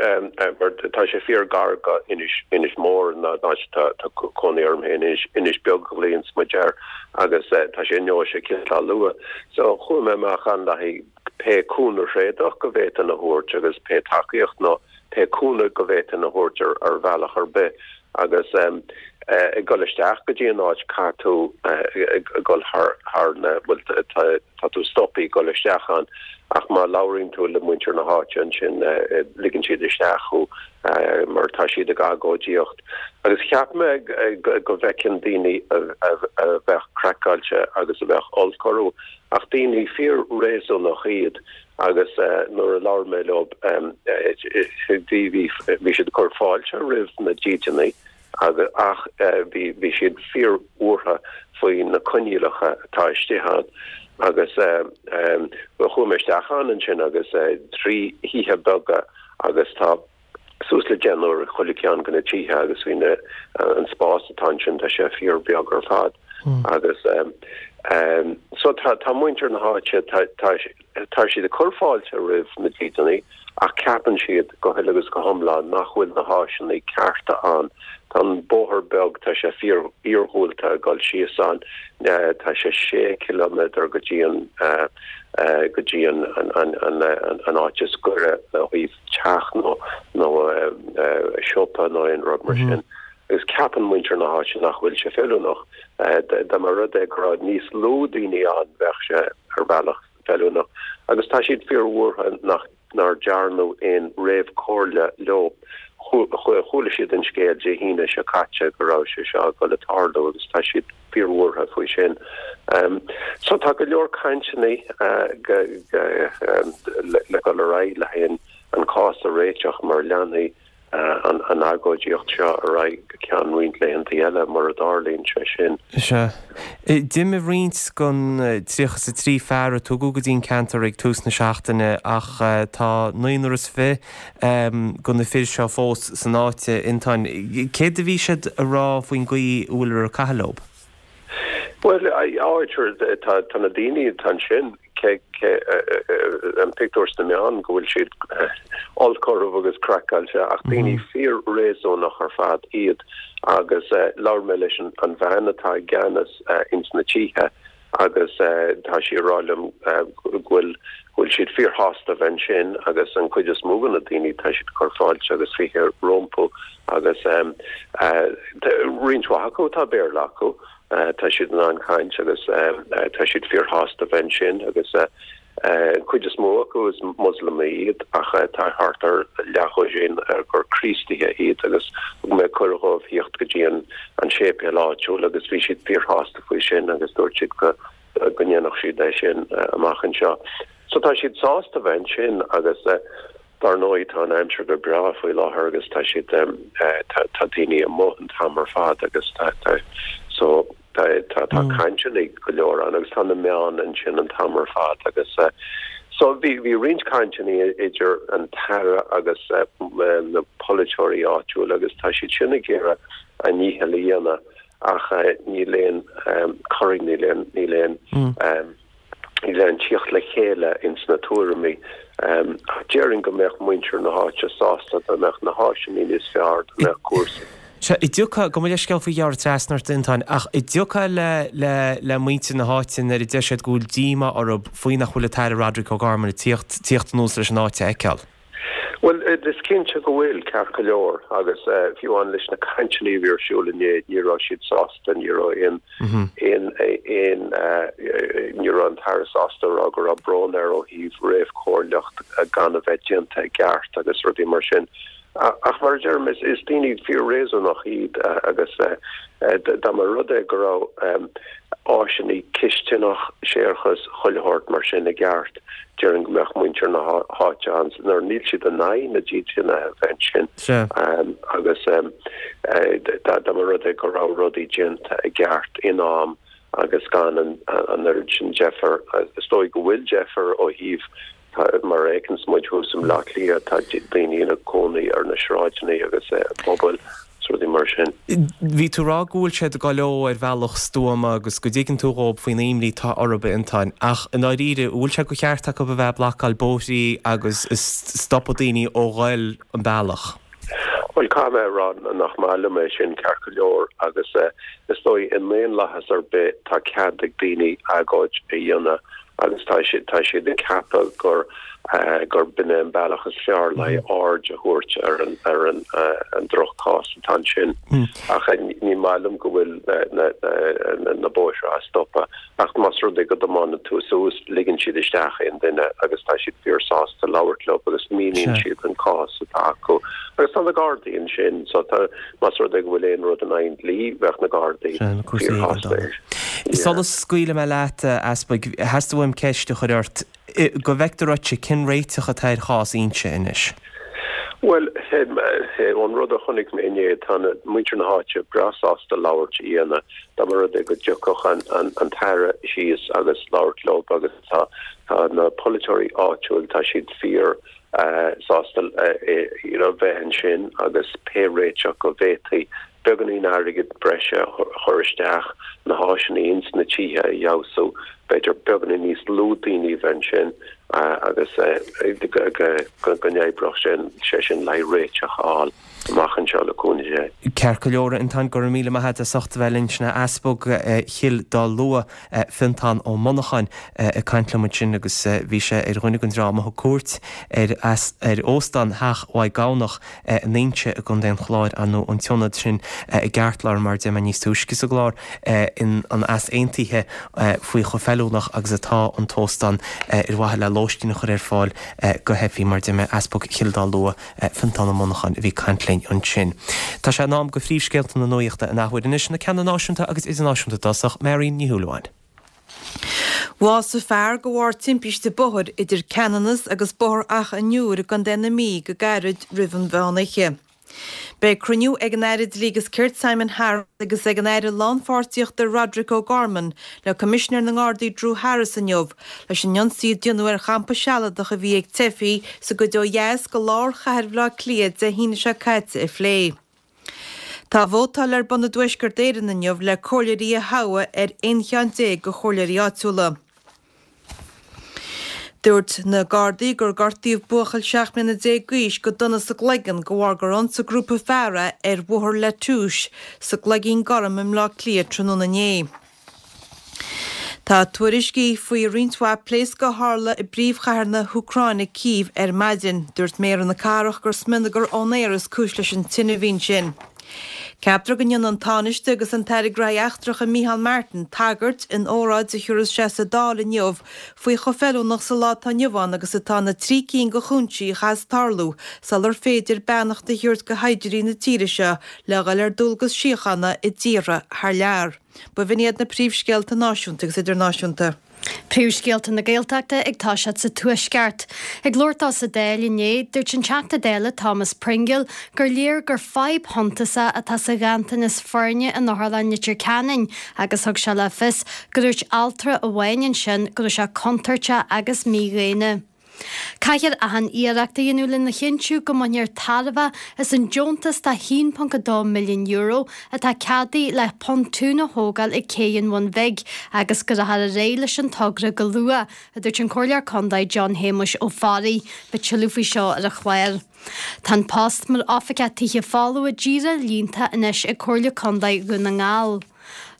mar tá sé fíor gar go Inis, Inis Mór, an áit atá cónaí orm féin, Inis, Inis Beag a ghlaonns muid air, agus tá sé i ndeoise Chill Dá Lua. So chuaigh mé amach ann le haghaidh pé cúnamh thréadach go bhféadfainn a thabhairt agus pé tacaíocht nó pé cúnamh go bhféadfainn a thabhairt ar ar bhealach ar bith agus ag dul isteach go dtí an áit caithfidh tú ag dul thar thar na, bhuel tá Tá tú stoptha ag dul isteach ann ach má labhraíonn tú le muintir na háite ansin ligeann siad isteach thú mar tá siad ag agóidíocht. Agus cheap mé go bhfeicfinn daoine a bheadh craiceáilte agus a bheadh olc orthu ach daoine fíor-réasúnach iad agus nuair a labhair mé leo bhí bhí siad ag cur fáilte roimh na dídeanaí agus ach bhí bhí siad fíor-bhuartha faoi na coinníollacha atá istigh ann agus chuaigh mé isteach ann ansin agus 3 thithe beaga agus tá suas le deichniúr i chuile ceann de na tithe agus bhí na an spás atá ansin tá sé fíor beag ar fad agus so tá tá muintir na háite tá tá Tá siad ag cur fáilte roimh na dídeanaí ach ceapann siad go huile agus go hiomlán nach bhfuil na háiseanna cearta ann. Tá an bóthar beag, tá sé fíor iargúlta ag dul síos ann, tá sé sé ciliméadar go dtí an go dtí an an áit is gaire ó thaobh teach nó nó siopa nó aon rud mar sin. Agus ceapann muintir na háite nach bhfuil sé feiliúnach. Dá mba rud é go raibh níos lú daoine ann bheadh sé ar bhealach. feiliúnach agus tá siad fíorbhuartha nach nár dearnadh aon réamhchomhairle leo. Chuala siad an scéal Dé hAoine seo caite go raibh sé seo ag dul a tarlú agus tá siad fíorbhuartha faoi sin. So tá go leor cainteanna le dul ar aghaidh le haghaidh an cás a réiteach mar leanfaidh an agóidíocht seo ar aghaidh go ceann roinnt laethanta eile mura dtarlaíonn sé sin. Sea. D'imigh roinnt den 33 fear a tugadh go dtí an ceantar ag tús na seachtaine ach tá naonúr is fi de na fir seo fós san áit, a Fhionntáin. Céard a bhí siad a rá faoin gcaoi a bhfuiltear ag caitheamh leo? Bhuel, áit, tá na daoine atá ansin, cé an pictiúr sna meáin go bhfuil siad olc orthu agus craiceáilte ach daoine fíor-réasúnach ar fad iad agus labhair mé leis an bhean atá i gceannas ins na tithe agus tá sí ag rá liom go bhfuil go bhfuil siad fíorshásta a bheith ansin agus an chuid is mó de na daoine tá siad ag cur fáilte agus fiche rompu agus roinnt mhaith acu tá Béarla acu Tá siad in ann caint agus tá siad fíorshásta a bheith ansin agus an chuid is mó acu is Moslamaigh iad ach tá thart ar leathdhosaen gur Críostaithe iad agus thug mé cuireadh dhóibh thíocht go dtí an séipéal áitiúil agus bhí siad fíorshásta faoi sin agus dúirt siad go go ndéanfadh siad é sin amach anseo. So tá siad sásta a bheith ansin agus Dar ndóigh, tá an aimsir go breá faoi láthair agus tá siad, tá daoine amuigh an t-am ar fad agus tá, tá, so tá, tá, tá cainteanna go leor ann agus tá na meáin ansin an t-am ar fad agus so bhí, bhí roinnt cainteanna idir an tAire agus na polaiteoirí áitiúla agus tá siad sin ag iarraidh a ndícheall a dhéanamh ach níl aon corraí, níl aon, níl aon. Níl aon tíocht le chéile ins na tuairimí. Ach déarfainn go mbeadh muintir na háite sásta dá mbeadh na háiseanna níos fearr, dá mbeadh cúrsaí. Sea, an dtiocfá, gabh mo leithscéal faoi ghearradh trasna ort, a Fhionntáin, ach an dtiocfá le, le, le muintir na háite nuair a deir siad go bhfuil díomá orthu faoi nach bhfuil an tAire Roderic O'Gorman ag tíocht, tíocht anuas leis an áit a fheiceáil? Bhuel, is cinnte go bhfuil, ceart go leor, agus fiú amháin leis na cainteanna a bhí ar siúl inné, ní raibh siad sásta, ní raibh aon, aon, aon, ní raibh an tAire sásta a rá go raibh brón air ó thaobh réamhchomhairleacht gan a bheith déanta i gceart agus rudaí mar sin. Ach mar a deirim, is daoine fíor-réasúnach iad agus dá mba rud é go raibh áiseanna cistineach, séarachas, chuile shórt mar sin i gceart, déarfainn go mbeadh muintir na háite ann nuair níl siad in aghaidh na dídeanaithe a bheith ansin agus dá mba rud é go raibh rudaí déanta i gceart in am agus gan an oiread sin deifir, is dóigh go bhfuil deifir ó thaobh Mar a fheiceanns muid thuas i mBleá Cliath, tá daoine ina gcónaí ar na sráideanna agus i bpubaill is rudaí mar sin. Bhí tú ag rá go bhfuil siad ag dul leo ar bhealach stuama agus go dtuigeann tú dhóib faoin imní atá orthu, a Fhionntáin, ach i ndáiríre, an bhfuil sé de cheart acu a bheith ag blocáil bóithrí agus ag stopadh daoine ó ghoil an bealach? Bhuel, caithfidh mé a rá nach maith liom é sin, ceart go leor, agus is dóigh i ndaonlathas ar bith tá cead ag daoine agóid a dhéanamh agus tá siad tá siad ag ceapadh gur gur b'in é an bealach is fearr le aird a thabhairt ar an ar an an droch-chás atá ansin. Ach ní maith liom go bhfuil na na na bóithre á stopadh ach más rud é go dtiomáineann tú suas ligeann siad isteach aon duine agus tá siad fíor-sásta labhairt leo agus míníonn siad an cás atá acu. Agus tá na Gardaí ansin so tá Más rud é go bhfuil aon rud in aghaidh an dlí, bheadh na Gardaí fíorshásta air. Sula scaoilfidh mé leat, a Easpaig, theastaigh uaim ceist a chur ort. Go bhfeictear dhuitse, cén réiteach atá ar chás Inse anois? Bhuel, ón rud a chonaic mé inné, tá muintir na háite breá sásta labhairt a dhéanamh. Dá mba rud é go dtiocfadh an tAire síos agus labhairt leo agus tá na polaiteoirí áitiúil, tá siad fíor sásta you know bheith ansin agus pé réiteach go bhféadfaí beagáinín airgead breise a chur isteach, na háiseanna ins na tithe a fheabhsú, b'fhéidir beagáinín níos lú daoine a bheith ansin agus go n-oibreodh sé sin le haghaidh réiteach a fháil. amach anseo le cúnamh Dé. Ceart go leor, a Fhionntáin, go raibh míle maith agat as ucht a bheith linn. Sin é Easpag Chill Dá Lua, Fionntán Ó Monacháin, ag caint liom ansin agus bhí sé ar dhuine den dream a thug cuairt ar ar Óstán Theach Mhaigh Gabhnach in Inse i gContae an Chláir, ar ndóigh an t-ionad sin i gceartlár mar a deir mé níos túisce sa gclár, in an easaontaithe faoi chomh feiliúnach. feiliúnach agus atá an t-óstán ar mhaithe le lóistín a chur ar fáil go theifigh, mar a deir mé, Easpag Chill Dá Lua, Fiontán Ó Monacháin a bhí ag caint linn ansin. Tá sé in am go phríomhscéalta na nuachta an athuair anois, na ceanna náisiúnta agus idirnáisiúnta i dtosach, Marion Ní Shúilleabháin. Bhásaigh fear de bharr timpiste bóthair idir Ceanannas agus Bóthar Achadh an Iúir i gContae na Mí go gairid roimh an mheán oíche. Beidh cruinniú ag an Aire Dlí agus Cirt Simon Harris agus ag an Aire Lánpháirtíochta Roderic O'Gorman le Coimisinéir na nGardaí Drew Harris inniu leis an ionsaí a déanadh ar champa sealadach a bhí ag teifigh sa gcuid ó dheas de lár chathair Bhaile Átha Cliath Dé hAoine seo caite a phlé. Tá vótáil ar bun i dTuaisceart Éireann inniu le comhairleoirí a thoghadh ar 11 cheann de chomhairleoirí áitiúla. Dúirt na Gardaí gur gortaíodh buachaill 17 mbliana d'aois go dona sa gcloigeann de bharr gur ionsaigh grúpa fear é ar Bhóthar La Touche sa gCloigín Gorm i mBleá Cliath tráthnóna inné. Tá tuairiscí faoi roinnt mhaith pléascadh a tharla i bpríomhchathair na hÚcráine, Cív, ar maidin. Dúirt méara na cathrach gur smionagar ón aer is cúis leis an tine a bhí ansin. Ceaptar go ndéanfaidh an Tánaiste agus an tAire Gnóthaí Eachtracha Micheál Martin tagairt in óráid a thiúrfas sé sa Dáil inniu faoi chomh feiliúnach sa lá atá inniu ann agus atá na trí cinn de chúinsí a chaithfeas tarlú sular féidir beannacht a thabhairt do shaighdiúirí na tíre seo le dhul ar dualgas síochána i dtíortha thar lear. B'in iad na príomhscéalta náisiúnta agus idirnáisiúnta. Príomhscéalta na Gaeltachta ag toiseacht sa Tuaisceart. Ag labhairt dó sa Dáil inné, dúirt an Teachta Dála Thomas Pringle gur léir gur fadhb shuntasach atá sa ghanntanas foirne in Otharlann Leitir Ceanainn agus thug sé le fios go ndúirt altra amháin ansin go raibh sé contúirteach agus mídhaonna. Caithfear achan iarracht a dhéanamh lena chinntiú go mbainfear tairbhe as an deontas de €1.2 milliún atá ceadaithe le pontún a thógáil ag Cé an Bhun Bhig agus go rachfar ar aghaidh leis an togra go luath, a dúirt an Comhairleoir Contae John Shéamuis Ó Fearraigh. Beidh tuilleadh faoi seo ar an chlár. Tá an post mar Oifigeach Tithe Folmha díreach líonta anois ag Comhairle Contae Dhún na nGall.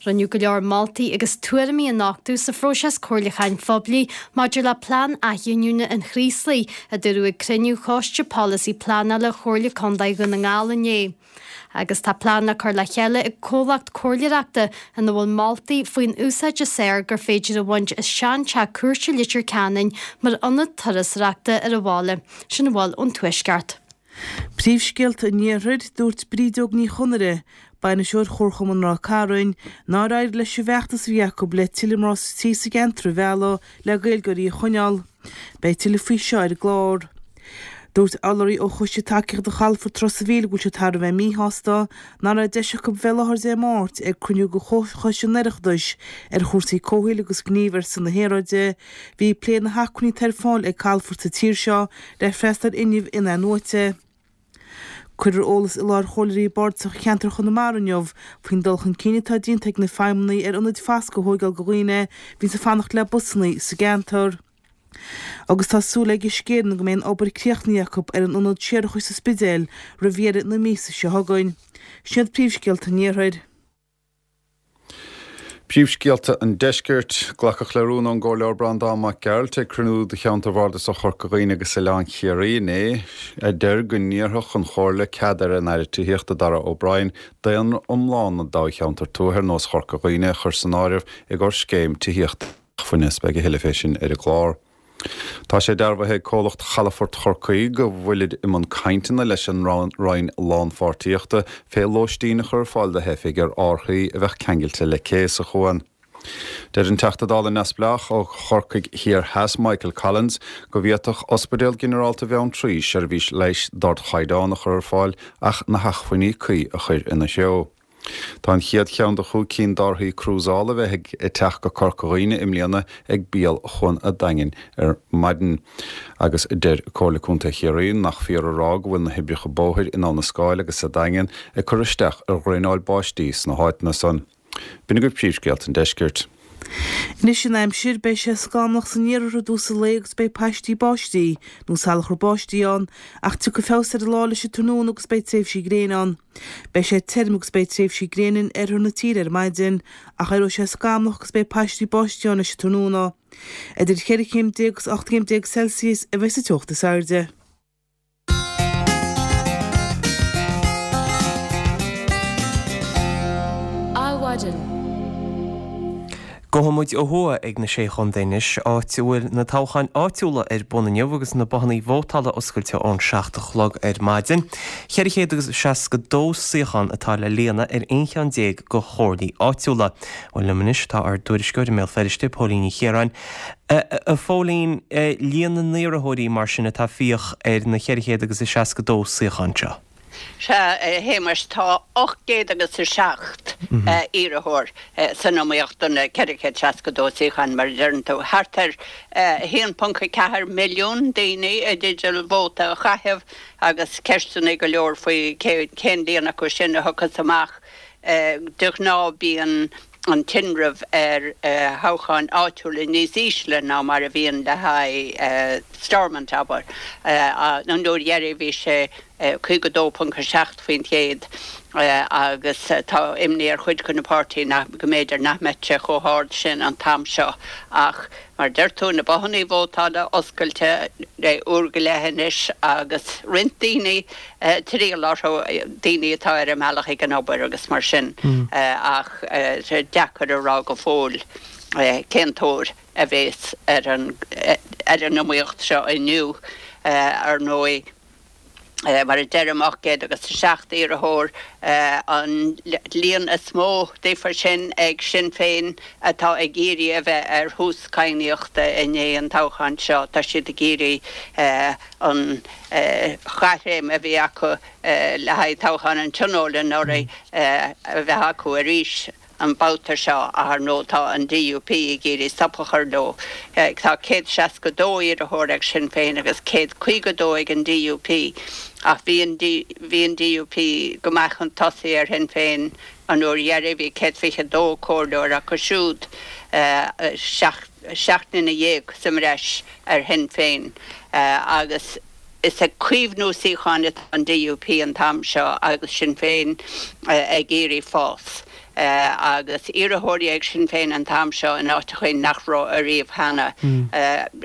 Rinneadh go leor moltaí agus tuairimí a nochtadh sa phróiseas comhairliúcháin phoiblí maidir le Plean Athghiniúna an Chraoslaigh, a dúradh ag cruinniú Choiste Polasaí Pleanála Chomhairle Contae Dhún na nGall inné. Agus tá plean le cur le chéile ag comhlacht comhairleoireachta ina bhfuil moltaí faoin úsáid is fearr gur féidir a bhaint as seanteach cúirte Leitir Ceanainn mar ionad turasóireachta ar an bhaile. Sin a bhfuil ón Tuaisceart. Príomhscéalta an Iarthair, Dúirt Brídeog Ní Chonaire, Bainisteoir Chomharchumann Ráth Cairn, nár éirigh leis an bhfeachtas a bhí acu le tuilleadh mná tí sa gceantar a mhealladh le Gaeilgeoirí a choinneáil. Beidh tuilleadh faoi seo ar an gclár. Dúirt urlabhraí ó Choiste Tacaíochta Chalafort Ros a' Mhíl go bhfuil siad thar a bheith míshásta nach raibh deis acu bheith i láthair Dé Máirt ag cruinniú de Chomhchoiste an Oireachtais ar chúrsaí comhshaoil agus gníomh ar son na haeráide. Bhí ag plé na hacmhainní atá ar fáil ag calafoirt sa tír seo le freastal ar fhuinneamh in-athnuaite. Cuirfear eolas i láthair chomhairleoirí bardasacha cheantar Chonamara inniu faoin dul chun cinn atá déanta ag na feidhmeannaigh ar ionaid foscaidh a thóigeáil do dhaoine a bhíonns ag fanacht le busannaí sa gceantar. Agus tá súil ag Uisce Éireann go mbeidh an obair críochnaithe acu ar an ionad séarachais sa Spidéal roimh dheireadh na míosa seo chugainn. Sin iad príomhscéalta an Iarthair. Príomhscéalta an Deiscirt, Glacadh le rún ón gComhairleoir Breandán Mac Gearailt ag cruinniú de cheantar bhardasach Chorca Dhuibhne agus Oileán Chiarraí inné, a deir go n-iarrfadh an Chomhairle cead ar an Aire Tithíochta Darragh O'Brien daonra iomlán na dtoghcheantar tuaithe ar nós Chorca Dhuibhne a chur san áireamh i gcomhair scéim tithíochta inacmhainne. Beidh a thuilleadh fé sin ar an gclár. Tá sé dearbhaithe ag comhlacht Chalafort Chorcaí go bhfuilid i mbun cainteanna leis an Roinn Lánpháirtíochta fé lóistín a chur ar fáil do theifigh ar árthaí a bheadh ceangailte le cé sa chuan. Deir an Teachta Dála neamhspleách ó Chorcaigh Thiar Theas Michael Collins go bhféadfadh Ospidéal Ginearálta Bheanntraí seirbhís leighis d'ardchaighdeán a chur ar fáil ach na hacmhainní cuí a chur ina threo. Tá an chéad cheann de chúig cinn d'árthaí crúsála a bheidh ag teacht go Corca Dhuibhne i mbliana ag bial Chuan a' Daingin ar maidin. Agus deir Comhairle Contae Chiarraí nach fíor a rá go bhfuil na hoibreacha bóthair in Abha na Scáil agus sa Daingean ag cur isteach ar dhraenáil báistí sna háiteanna san. B'in agaibh príomhscéalta an deiscirt. Anois an aimsir, beidh sé scamallach san iarthar i dtús an lae agus beidh paistí báistí nó salachar báistí ann ach tiocfaidh feabhas ar an lá leis an tráthnóna agus beidh tréimhsí gréine ann. Beidh sé tirim agus beidh tréimhsí gréine in oirthear na tíre ar maidin ach éireoidh sé scamallach agus beidh paistí báistí ann leis an tráthnóna. Idir cheithre chéim déag agus 18 gcéim Celsius a bheidh sa teocht is airde. Gabhfaidh muid ó thuaidh ag na Sé Chontae anois, áit a bhfuil na toghcháin áitiúla ar bun inniu agus na bothanna vótála oscailte ón 7 a chlog ar maidin. 462 suíochán atá le líonadh ar 11 cheann de chomhairlí áitiúla. Bhuel, liom anois tá ár dtuairisceoir i mBéal Feirste, Póilín Ní Chiaráin. A Phóilín, líon na n-iarrthóirí mar sin atá ag fiach ar na 462 suíochán seo? Sea, a Shéamais, tá 800 agus 7 iarrthóir san iomaíocht do na 462 suíochán, mar a deireann tú. Thart ar 1.4 milliún daoine i dteideal vóta a chaitheamh agus ceisteanna go leor faoi cén líon acu sin a thiocfas amach. De ghnáth bíonn an tinreamh ar thoghcháin áitiúla níos ísle ná mar a bhíonn le haghaidh Stormont, abair. An uair dheiridh bhí sé 52.7% agus tá imní ar chuid de na páirtithe nach, go mb'fhéidir nach mbeadh sé chomh hard sin an t-am seo ach mar a deir tú, na bothanna vótála oscailte le uair go leith anois agus roinnt daoine ag triall orthu, daoine atá ar a mbealach ag an obair agus mar sin ach deacair a rá go fóill cén tóir a bhéas ar an iomaíocht seo inniu. Ar ndóigh. Mar a deirim, 800 agus 7 iarrthóir, an líon is mó díofa sin ag Sinn Féin atá ag iarraidh a bheith ar thús cadhnaíochta i ndiaidh an toghcháin seo. Tá siad ag iarraidh an chaithréim a bhí acu le haghaidh toghchán an Tionóil anuraidh a bheith acu arís. an babhta seo ach ar ndóigh tá an DUP ag iarraidh stop a chur leo. Tá 162 iarrthóir ag Sinn Féin agus 152 ag an DUP ach bhí an bhí an DUP go maith chun tosaigh ar Shinn Féin an uair dheiridh, bhí 122 comhairleoir acu siúd, 17 nduine sa mbreis ar Shinn Féin agus Is ag caomhnú suíocháin atá an DUP an t-am seo agus Sinn Féin ag iarraidh fás. Agus iarrthóirí ag Sinn Féin an t-am seo in áiteachaí nach raibh ariamh cheana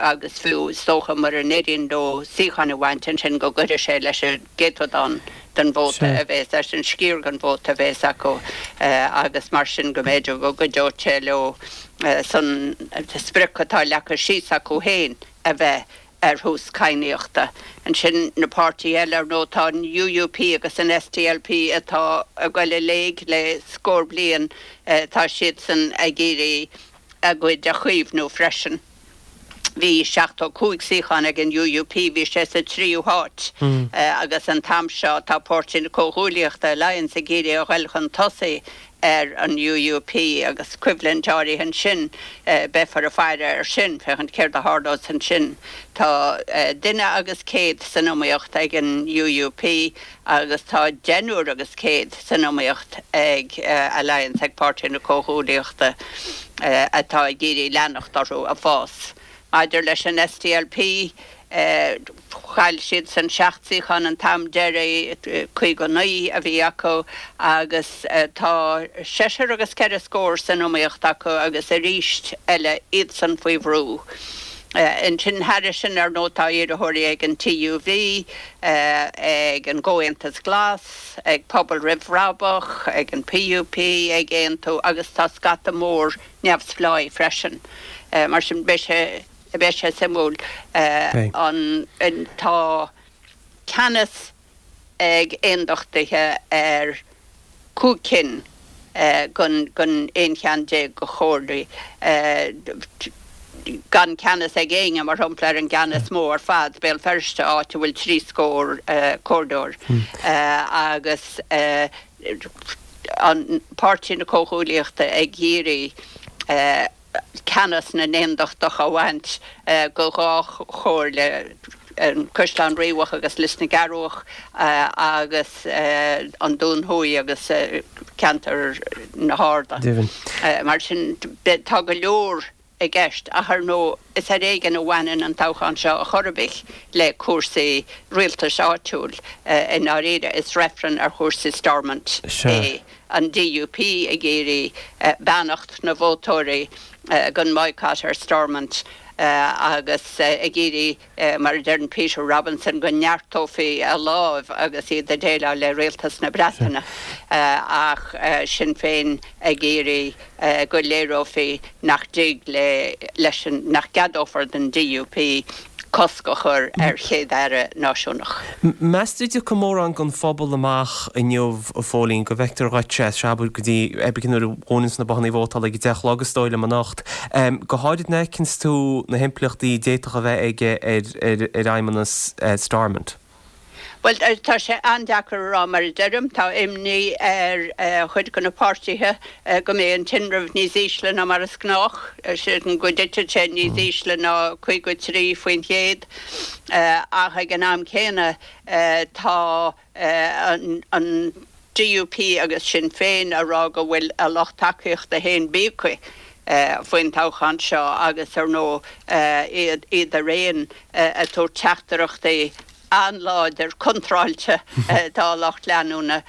agus fiú is dócha mura n-éiríonn leo suíocháin a bhaint ansin go gcuirfidh sé leis an gcéatadán den vóta a bhéas, leis an sciar den vóta a bhéas acu agus mar sin go mb'fhéidir go gcuideodh sé leo san sprioc atá leagtha síos acu féin a bheith ar thús cadhnaíochta. Ansin na páirtithe eile, ar ndóigh, tá an UUP agus an SDLP atá ag goil i léig le scór bliain, tá siadsan ag iarraidh a gcuid a chaomhnú freisin. Bhí 75 suíochán ag an UUP, bhí sé sa tríú háit agus an t-am seo tá Páirtí na Comhghuaillíochta, Alliance, ag iarraidh a ghoil chun tosaigh ar an UUP agus coimhlint áirithe ansin, beifear ag faire air sin, féachaint céard a tharlós ansin. Tá duine agus 100 san iomaíocht ag an UUP agus tá deichniúr agus 100 san iomaíocht ag Alliance, ag Páirtí na Comhghuaillíochta, atá ag iarraidh leanacht orthu ag fás. Maidir leis an SDLP, chaill siadsan 7 suíochán an t-am deiridh, 59 a bhí acu agus tá seisear agus ceithre scór san iomaíocht acu agus arís eile iadsan faoi bhrú. Ansin thairis sin, ar ndóigh, tá iarrthóirí ag an TUV, ag an gComhaontas Glas, ag Pobal Roimh Bhrabach, ag an PUP, ag Aontú agus tá scata mór neamhspleáigh freisin. Mar sin beidh sé beidh sé suimiúil. An tá ceannas ag aondachtaithe ar chúig cinn den den 11 cheann de chomhairlí, gan ceannas ag éinne, mar shampla, ar an gceann is mó ar fad, Béal Feirste, áit a bhfuil trí scór comhairleoir agus an Páirtí na Comhghuaillíochta ag iarraidh ceannas na n-aondachtach a bhaint de dhá chomhairle, an Caisleán Riabhach agus Lios na gCearrbhach agus an Dún Thuaidh agus ceantar na hArda. Mar sin, tá go leor i gceist ach ar ndóigh is ar éigean a bhaineann an toghchán seo a chor ar bith le cúrsaí rialtais áitiúil i ndáiríre. Is reifreann ar chúrsaí Stormont é, an DUP ag iarraidh beannacht na vótóirí. Don mboycott ar Stormont agus ag iarraidh, mar a deireann Peter Robinson, go neartófaí a láimh agus iad ag déileáil le Rialtas na Breataine ach Sinn Féin ag iarraidh go léireofaí nach dtig leis an, nach gceadófar don DUP cosc a chur ar Chéad-Aire náisiúnach. Meas tú an dtiocfaidh mórán den phobal amach inniu, a Phóilín, go bhfeictear dhuit, sea, abair go dtí abair nuair a dhúnanns na bothannaí vótála ag a 10 a chlog is dóigh liom anocht. Go háirid nuair a fheiceanns tú na himpleachtaí a d'fhéadfadh a bheith aige ar ar fheidhmeannas Stormont. Bhuel, tá sé an-deacair a rá. Mar a deirim, tá imní ar chuid de na páirtithe go mbeidh an tinreamh níos ísle ná mar is gnách, sin go dtitfidh sé níos ísle ná 53%. Ach ag an am céanna, tá an DUP agus Sinn Féin a rá go bhfuil a lucht tacaíochta féin bíogtha faoin toghchán seo agus, ar ndóigh, iad araon ag tabhairt teachtaireachtaí an-láidir contráilte dá lucht leanúna.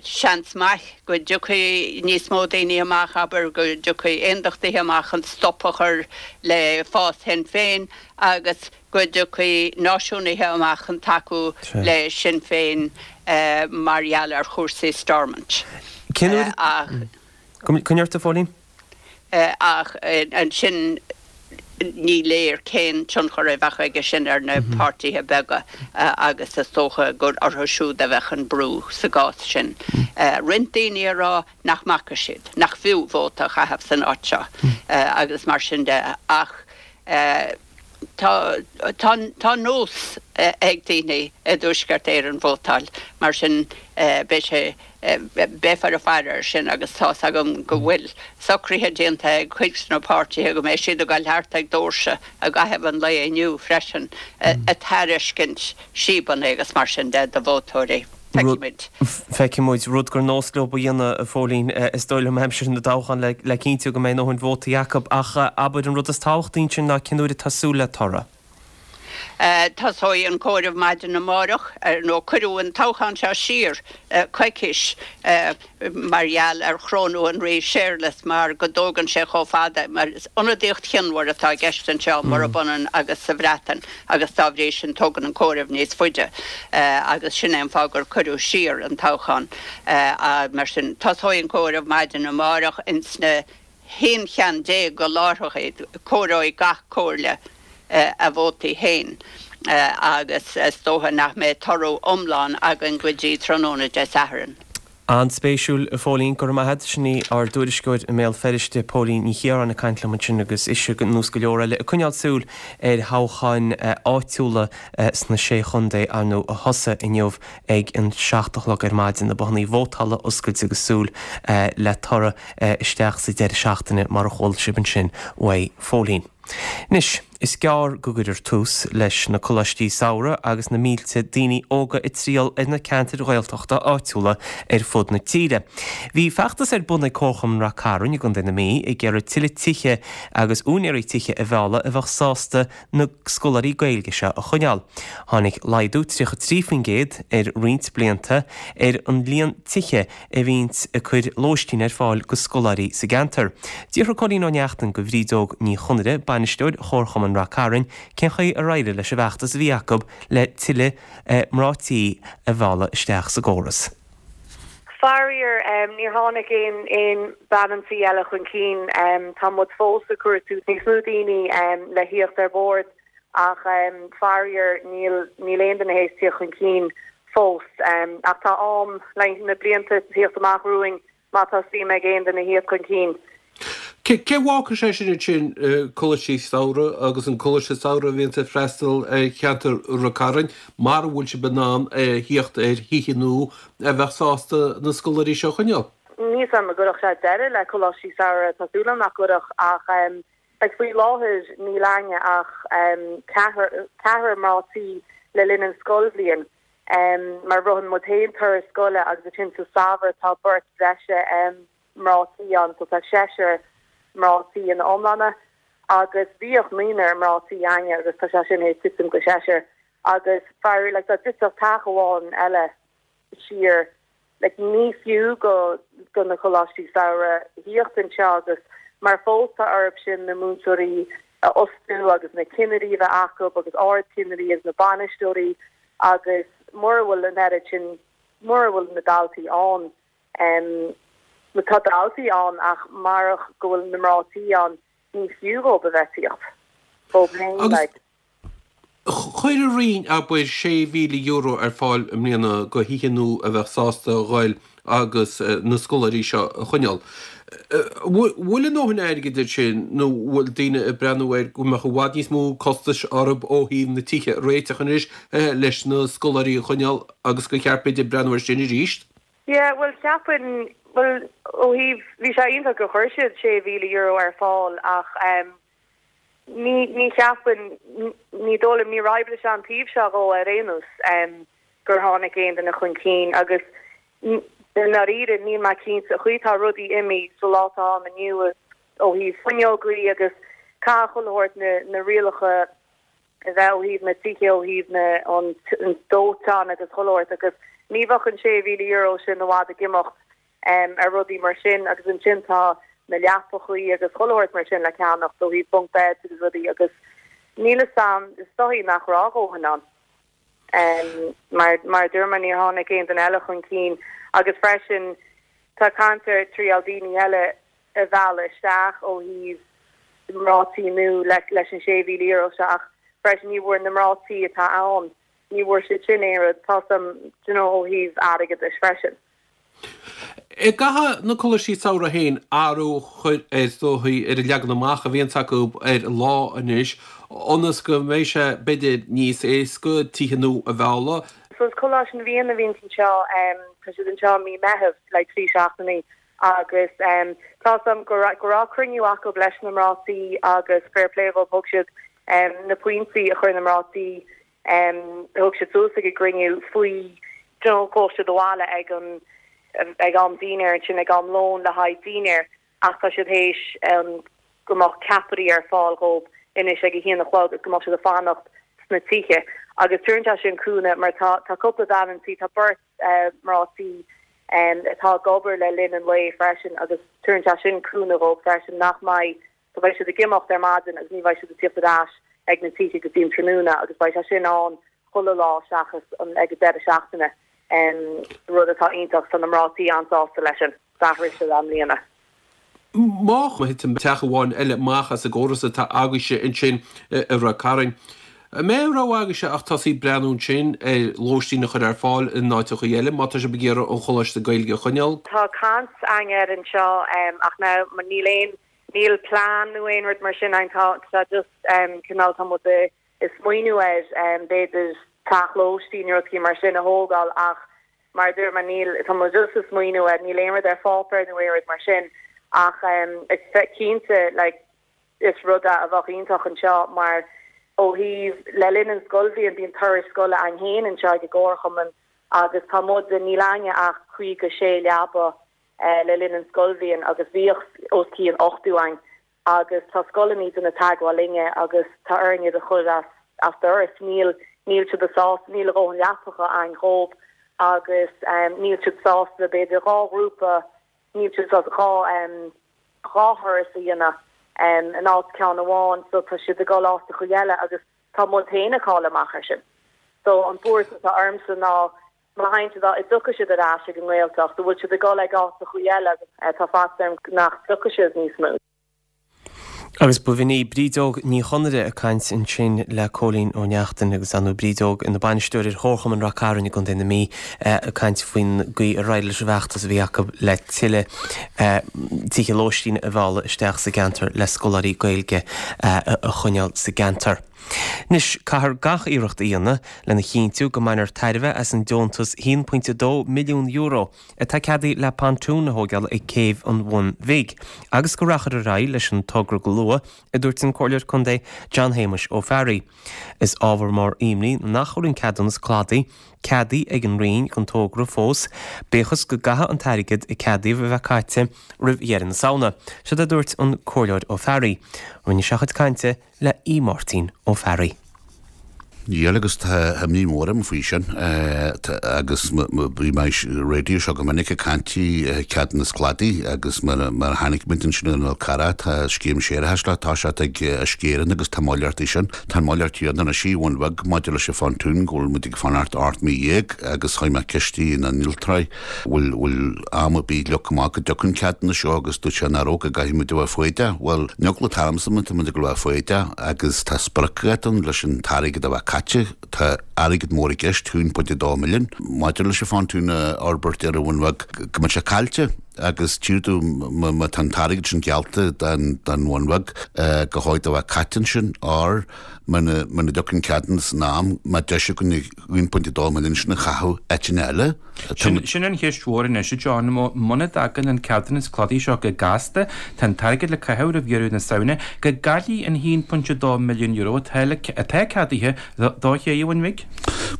Seans maith go dtiocfaidh níos mó daoine amach, abair, go dtiocfaidh aondachtaithe amach chun stop a chur le fás Shinn Féin agus go dtiocfaidh náisiúnaithe amach chun tacú le Sinn Féin mar gheall ar chúrsaí Stormont. Cén uair a. Coinnigh ort, a Phóilín. Ach ansin ní léir cén tionchar a bheadh aige sin ar na páirtithe beaga agus is dócha gur orthu siúd a bheadh an brú sa gcás sin. Roinnt daoine a rá nach mbaca siad, nach fiú vóta a chaitheamh san áit seo agus mar sin de ach Tá tá nós ag daoine i dTuaisceart Éireann vótáil, mar sin beidh sé, beifear ag faire air sin agus tá's agam go bhfuil socruithe déanta ag cuid de na páirtithe go mbeidh siad ag dul thart ag doirse i gcaitheamh an lae inniu freisin ag tairiscint síobanna agus mar sin de do vótóirí. Feicfimid. Feicfimid. Rud gur nós leo a dhéanamh, a Phóilín, is dóigh liom, aimsir na dtoghchán le cinntiú go mbeidh a ndóthain vótaí acu. Ach abair, an rud is tábhachtaí ansin ná cén uair atá súil le toradh? Tosóidh an comhaireamh maidin amárach, nó cuireadh an toghchán seo siar coicís mar gheall ar chrónú an Rí Séarlas mar go dtógann sé chomh fada, mar is ionadaíocht chionmhar atá i gceist anseo, murab ionann agus sa Bhreatain, agus dá bhrí sin tógann an comhaireamh níos faide agus sin é an fáth gur cuireadh siar an toghchán. Mar sin, tosóidh an comhaireamh maidin amárach ins na haon cheann de láithreacha, comhaireoidh gach comhairle a vótaí féin agus is dócha nach mbeidh toradh iomlán againn go dtí tráthnóna Dé Sathairn. An-spéisiúil, a Phóilín, go raibh maith agat. Sin í ár dtuairisceoir i mBéal Feirste, Póilín Ní Chiaráin ag caint liom ansin agus ise, ar nós go leor eile, ag coinneáil súil ar thoghcháin áitiúla sna Sé Chontae, ar ndóigh, a thosaigh inniu ag an 7 a chlog ar maidin, na bothannaí vótála oscailte agus súil le toradh isteach sa deireadh seachtaine mar a chuala sibh ansin uaidh Phóilín. Anois, is gearr go gcuirfear tús leis na coláistí samhraidh agus na mílte daoine óga ag triall ar na ceantair Ghaeltachta áitiúla ar fud na tíre. Bhí feachtas ar bun ag Comharchumann Rath Cairn i gContae na Mí ag iarraidh tuilleadh tithe agus úinéirí tithe a mhealladh a bheadh sásta na scoláirí Gaeilge seo a choinneáil. Tháinig laghdú 33% ar roinnt blianta ar an líon tithe a bhíonns ag cur lóistín ar fáil go scoláirí sa gceantar. D'fhiafraigh Cóilín Ó Neachtain go Bhrídeog Ní Chonaire, bainisteoir Chomharchumann Rath Cairn, cén chaoi ar éirigh leis an bhfeachtas a bhí acu le tuilleadh mná tí a mhealladh isteach sa gcóras. Faraor, níor tháinig aon aon bean an tí eile chun cinn. Tá muid fós ag cuartú níos mó daoine le thíocht ar bord ach faraor níl níl aon duine théis tíocht chun cinn fós. Ach tá am le na blianta tíocht amach romhainn má tá suim ag aon duine thíocht chun cinn. Cé bhfágfaidh sé sin ansin coláistí samhraidh agus an coláiste samhraidh a bhíonns ag freastal ar cheantar Rath Cairn, mara bhfuil sibh in ann a thíocht ar thithe nua a bheadh sásta na scoláirí seo a choinneáil? Níl 's agam an gcuirfeadh sé deireadh le coláistí samhraidh, tá súil agam nach gcuirfeadh ach like faoi láthair níl againne ach ceathrar ceathrar mná tí le linn an scoilbhliain mar ritheann muid féin turas scoile agus ansin sa samhradh tá beirt bhreise mná tí ann, so tá seisear mná tí ina iomláine agus bhíodh naonúr mná tí againne agus tá sé sin théis titim go seisear agus faraor like dá dtitfeadh teach amháin eile siar like ní fiú go go na coláistí samhraidh thíocht anseo agus. Mar fós tá orthu sin na múinteoirí a fhostú agus na cinnirí a bheith acu agus ardchinnirí agus na bainisteoirí agus mura bhfuil an oiread sin, mura bhfuil na daltaí ann, bhuel tá daltaí ann ach marach go bhfuil na mná tí ann ní fiú dhóibh a bheith ag tíocht dhóibh féin like. Chuir an Roinn, abair, €6,000 ar fáil i mbliana go thithe nua a bheadh sásta a ghoil agus na scoláirí seo a choinneáil. Bhfuil a ndóthain airgid air sin nó bhfuil daoine ag breathnú air go mbeadh i bhfad níos mó costais orthu ó thaobh na tithe a réiteach anois leis na scoláirí a choinneáil agus gur cheart b'fhéidir breathnú air sin arís? Yeah, bhuel cheapfainn, bhuel ó thaobh, bhí sé iontach gur chuir siad €6,000 ar fáil ach eh, Ní, ní cheapfainn, ní dóigh liom, níor oibrigh sé an taobh seo dhó ar aon nós, gur tháinig aon duine chun cinn agus i ndáiríre níl mé cinnte, an chaoi atá rudaí imithe sa lá atá ann inniu ó thaobh fuinneogaí agus caithfidh chuile shórt na, na rialacha a bheith ó thaobh na tithe, ó thaobh na, an dóiteán agus chuile shórt agus ní bheadh an €6,000 sin i bhfad ag imeacht ar rudaí mar sin agus ansin tá na leapachaí agus chuile shórt mar sin le ceannacht ó thaobh bunk beds agus rudaí agus níl fhios a'm, is dóigh nach raibh a dhóthain ann. Mar, mar a dúirt mé níor tháinig aon duine eile chun cinn agus freisin tá caint ar triail daoine eile a mhealladh isteach ó thaobh mná tí nua leis an €6,000 seo ach freisin ní bhfuair na mná tí atá ann, ní bhfuair siad sin aon rud, tá 'fhios a'm, do you know, ó thaobh airgeadais freisin. An gcaithfidh na coláistí samhraidh féin athrú a chur ar, is dóichí, ar an leagan amach a bhíonns acu ar an lá anois, ionas go mbeidh sé, b'fhéidir, níos éasca tithe nua a mhealladh. So is Coláiste na bhFiann a bhíonns anseo, tá siad anseo i mí Meitheamh, like 3 seachtainí agus tá 'fhios a'm go raibh, go raibh cruinniú acu leis na mná tí agus fair play dhóibh, thug siad na pointí a chuir na mná tí Thug siad suas ag an gcruinniú faoi you know chuaigh siad abhaile ag an ag am dinnéir ansin ag am lóin le haghaidh dinnéir ach tá siad théis go mbeadh ceapairí ar fáil dhóibh anois ag a haon a chlog agus go mbeadh siad ag fanacht sna tithe agus tugann sé sin cúnamh mar tá tá cúpla bean an tí tá beirt mná tí atá ag obair le linn an lae freisin agus tugann sé sin cúnamh dhóibh freisin nach mbeidh So beidh siad ag imeacht ar maidin agus ní bheidh siad ag tíocht ar ais ag na tithe go dtí an tráthnóna agus beidh sé sin ann chuile lá seachas an ag an deireadh seachtaine, rud atá iontach. Tá na mná tí an-sásta leis sin. D'athraigh siad i mbliana. Má thiteann teach amháin eile amach as an gcóras atá agaibhse ansin i Ráth Cairn, an mbeidh aon rogha agaibhse ach tosaí breathnú ansin ar lóistín a chur ar fáil in áiteachaí eile má tá sibh ag iarraidh an Choláiste Gaeilge a choinneáil? Tá caint againn air anseo ach now níl aon Níl plean nó aon rud mar sin ann, tá tá just cineál tá muid ag smaoineamh air b'fhéidir teach lóistín nó rudaí mar sin a thógáil ach mar a dúirt mé níl tá muid just ag smaoineamh air, níl aon rud ar pháipéar nó aon rud mar sin ach is cinnte like is rud é a bheadh iontach anseo mar ó thaobh le linn an scoilbhliain bíonn turais scoile againn féin anseo ag an gcomharchumann agus tá muid níl againne ach 56 leaba le linn an scoilbhliain agus bhíodh os cionn 80 againn agus tá scoileanna ag déanamh teagmháil linne agus tá orainn iad a chur as as doras. Níl níl siad sásta, níl a dhóthain leapacha againn dhóibh agus níl siad sásta b'fhéidir 2 ghrúpa, níl siad sásta 2 2 thuras a dhéanamh in áit ceann amháin so tá siad ag dul áiteachaí eile agus tá muid féin ag cailleadh amach ar sin. So an buairt atá ormsa ná Má théann siad, an dtiocfaidh siad ar ais ag an nGaeltacht, an bhfuil siad ag dul ag áiteachaí eile agus tá faitíos orm nach dtiocfaidh siad níos mó. Agus b'in í Brídeog Ní Chonaire ag caint ansin le Cóilín Ó Neachtain agus ar ndóigh Brídeog ina bainisteoir ar Chomharchumann Rath Cairn i gContae na Mí ag caint faoin gcaoi ar éirigh leis an bhfeachtas a bhí acu le tuilleadh tithe lóistín a mhealladh isteach sa gceantar le scoláirí Gaeilge a choinneáil sa gceantar. Anois, caithfear gach iarracht a dhéanamh lena chinntiú go mbainfear tairbhe as an deontas €1.2 milliún atá ceadaithe le pontún a thóigeáil ag Céibh an Bhun Bhig agus go rachfar ar aghaidh leis an togra go luath, a dúirt an Comhairleoir Contae John Shéamuis Ó Fearraigh. Is ábhar mór imní nach bhfuil an ceadúnas cladaigh ceadaithe ag an Roinn don togra fós, bíodh is go gcaithfidh an t-airgead a ceadaíodh a bheith caite roimh dheireadh na Samhna. Seod é a dúirt an Comhairleoir Ó Fearraigh. Rinne sé a chuid cainte le Aodh Máirtín Ó Fearraigh. Níl agus tá imní mhór orm faoi sin agus bhí mé ar an raidió seo go minic ag caint faoi ceadúnas cladaigh agus mar a chonaic muid ansin ar an Fhál Carrach tá scéim séarachais le toiseacht ag Uisce Éireann agus tá moill orthu sin. Tá an moill orthu anois i Bhun Bheag maidir leis an phontún go bhfuil muid ag fanacht 18 mí agus chuir mé ceist ar na hinnealtóirí bhfuil bhfuil am ar bith leagtha amach go dtiocfaidh an ceadúnas seo agus dúirt sé nach raibh go gcaithfidh muid a bheith foighdeach. Bhuel, an eagla atá ormsa má tá muid ag dul a bheith foighdeach agus tá spriocdháta ann leis an t-airgead a bheith caite, tá airgead mór i gceist, 1.2 milliún, maidir leis an phontún a fhorbairt ar an Bhun Bheag, go mbeidh sé caillte agus tchífidh tú má tá an t-airgead sin geallta don Bhun Bheag go háit a bheith caite ansin or muna dtiocfaidh an ceadúnas in am, má deis againn 1.2 milliún sin a chaitheamh áiteanna eile. Sin an cheist mhór anois, a John. Muna dtagann an ceadúnas cladaigh seo go gasta, tá an t-airgead le caitheamh roimh dheireadh na Samhna, go gcaillfí an €1.2 milliún atá ceadaithe do ché an Bhun Bhig?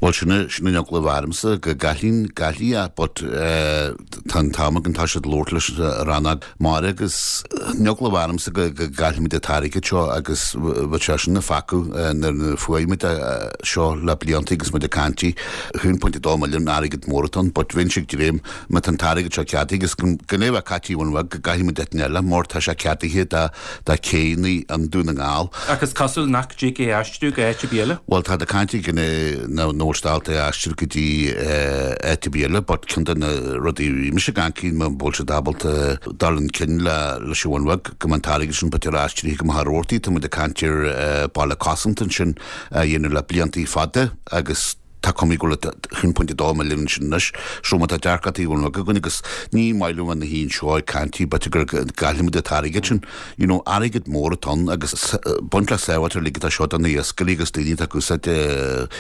Bhuel, sin an eagla a bheadh ormsa, go gcaillfí é, but tá an t-am againn, tá siad ag labhairt leis an rannóg mara agus an eagla a bheadh ormsa go gcaillfimid an t-airgead seo agus bheadh sé sin ag facadh nuair a fuair muid é seo le blianta agus muid ag caint 1.2 milliún airgead mór atá ann but bheinnse ag dréim má tá an t-airgead seo ceadaithe agus gan é a bheith caite i mBun Bheag go gcaithfidh muid áit eile mar tá sé ceadaithe do do chéanna i nDún na nGall. Ach is cosúil nach dtig é a aistriú go áit ar bith eile. Bhuel tá caint ag nach bhfuil siad ábalta é a aistriú go dtí áit ar bith eile but ceann de na rudaí a bhí mise ag caint muna bhfuil siad ábalta dul chun cinn le leis an Bhun Bheag go mbeadh an t-airgead sin b'fhéidir aistrithe go Machaire Rabhartaigh tá muid ag caint ar baile cosanta ansin a dhéanamh le blianta fada agus Tá cuma go bhfuil 1.2 milliún ansin anois. So má tá dearcadh Bhun Bheag againn agus ní maith liom bheith ina shuí anseo ag caint b'fhéidir go gcaillfimid an t-airgead sin. You know, airgead mór atá ann agus baint le sábháilteacht uilig atá seo do na iascairí agus daoine atá ag úsáid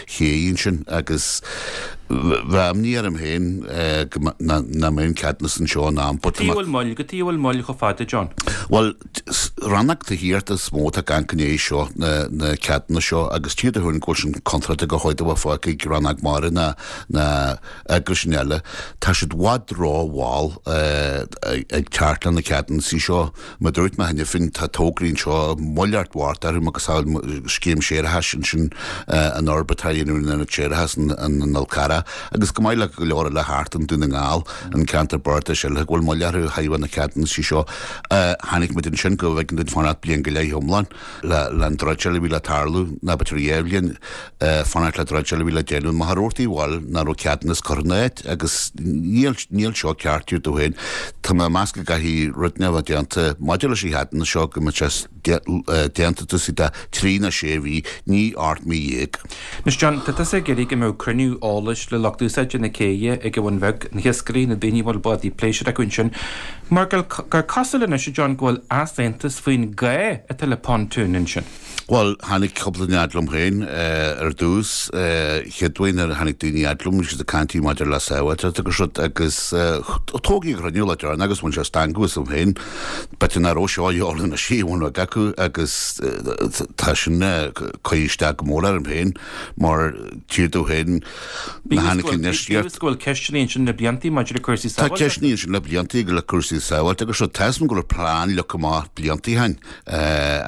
ché ansin agus bheadh imní orm féin go nach mbeidh an ceadúnas anseo in am. Cad chuige a bhfuil moill, cad chuige a bhfuil moill chomh fada, John? Bhuel, Rannóg Tithíochta is mó atá ag amharc i ndiaidh seo, na ceadúnais seo, agus tchífidh tú féin go bhfuil sin contráilte go háit a bhfuil fágtha ag Rannóg Mara ná na eagraisí eile. Tá siad i bhfad ró-mhall ag teacht le na ceadúnaisí seo. Mar a dúirt mé cheana féin, tá tograí anseo, moill ort mhart orthu, macasamhail scéim séarachais ansin, an fhorbairt atá á dhéanamh ar an ionad séarachais in Fhál Carrach, agus go maith le go leor eile thart i nDún na nGall. an ceantar bardais eile go bhfuil moill orthu ó thaobh na ceadúnaisí seo. Chonaic muid ansin go bhfeiceann duine fanacht bliain go leith iomlán le an troid eile a bhí le tarlú, ná b'fhéidir dhá bhliain fanacht le troid eile a bhí le déanamh. Machaire Rabhartaigh bhuel nach raibh ceadúnas curtha ina áit agus níl níl seo ceart dúirt tú féin. Tá mé ag meas go gcaithfidh rud inteacht a bheith déanta maidir leis an cheadúnas seo go mbeadh sé déanta taobh istigh de thrí nó sé mhí, ní 18 mí. Anois John, tá tusa ag iarraidh go mbeadh cruinniú eolais le lucht úsáide na céidhe ag an Bhun Bheag, na hiascairí, na daoine a bhfuil bádaí pléisiúir acu ansin, mar gur cosúil anois, a John, go bhfuil easaontas faoin gá atá le pontún ansin. Bhuel, tháinig cúpla duine fhad liom féin ar dtús. Chéad uair nuair a tháinig daoine fhad liom, bhí siad ag caint maidir le sábháilteacht agus rud agus tógadh an cruinniú lá deireanach agus bhain sé stangadh asam féin. B'fhéidir nach raibh seo a fháil ina sí bhun rud acu agus tá sin curtha isteach go mór orm féin mar tír dó féin na tháinig an Bíodh go bhfuil ceisteanna ansin le blianta maidir le cúrsaí sábháilteachta. Tá ceisteanna ansin le blianta le cúrsaí sábháilteachta agus seo tá a fhios agam go raibh plean leagtha amach blianta ó shin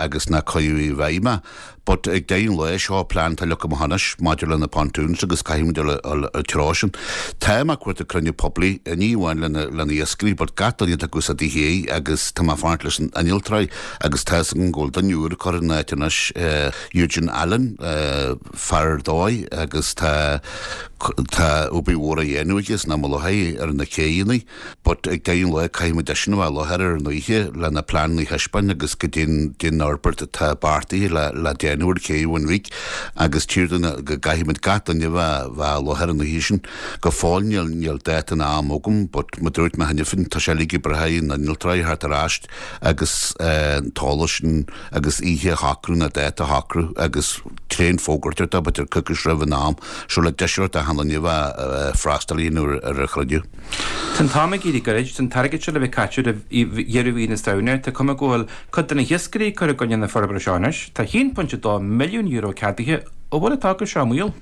agus nár cuireadh i bhfeidhm é. But ag deireadh an lae, seo plean atá leagtha amach anois maidir le na pontoons agus caithfidh muid dul an treo sin. Tá mé ag cuartú cruinniú poiblí, ní amháin le na le na iascairí but gach duine atá ag úsáid an ché agus tá mé ag fanacht leis an innealtóirí agus tá fhios agam go bhfuil duine úr curtha in áit anois, Eugene Allen, fear ar dóigh agus tá tá obair mhór á dhéanamh aige san am i láthair ar na céidheanna. But ag deireadh an lae caithfidh muid eisean a bheith i láthair ar an oíche le na pleananna a thaispeáin agus goidé an fhorbairt atá beartaithe le le déanamh ar ché Bhun Bhig agus tchífidh tú go gcaithfidh muid gach duine a bheith bheith i láthair an oíche sin. Go fóill níl níl dáta ná am agam but mar dúirt mé cheana féin tá sé uilig ag brath ar na innealtóirí a theacht ar ais agus an t-eolas sin agus oíche a shocrú ná dáta a shocrú agus tréan fógairt ar dó b'fhéidir coicís roimh an am seo le deis a thabhairt d'achan duine a bheith freastal a dhéanamh ar an chruinniú. Tá an t-am ag éirí gairid, tá an t-airgead seo le bheith caite roimh dheireadh mhí na Samhna. Tá cuma go bhfuil cuid de na hiascairí ag cur i gcoinne na forbartha seo anois. Tá €1.2 milliún ceadaithe. An bhfuil an togra seo i mbaol?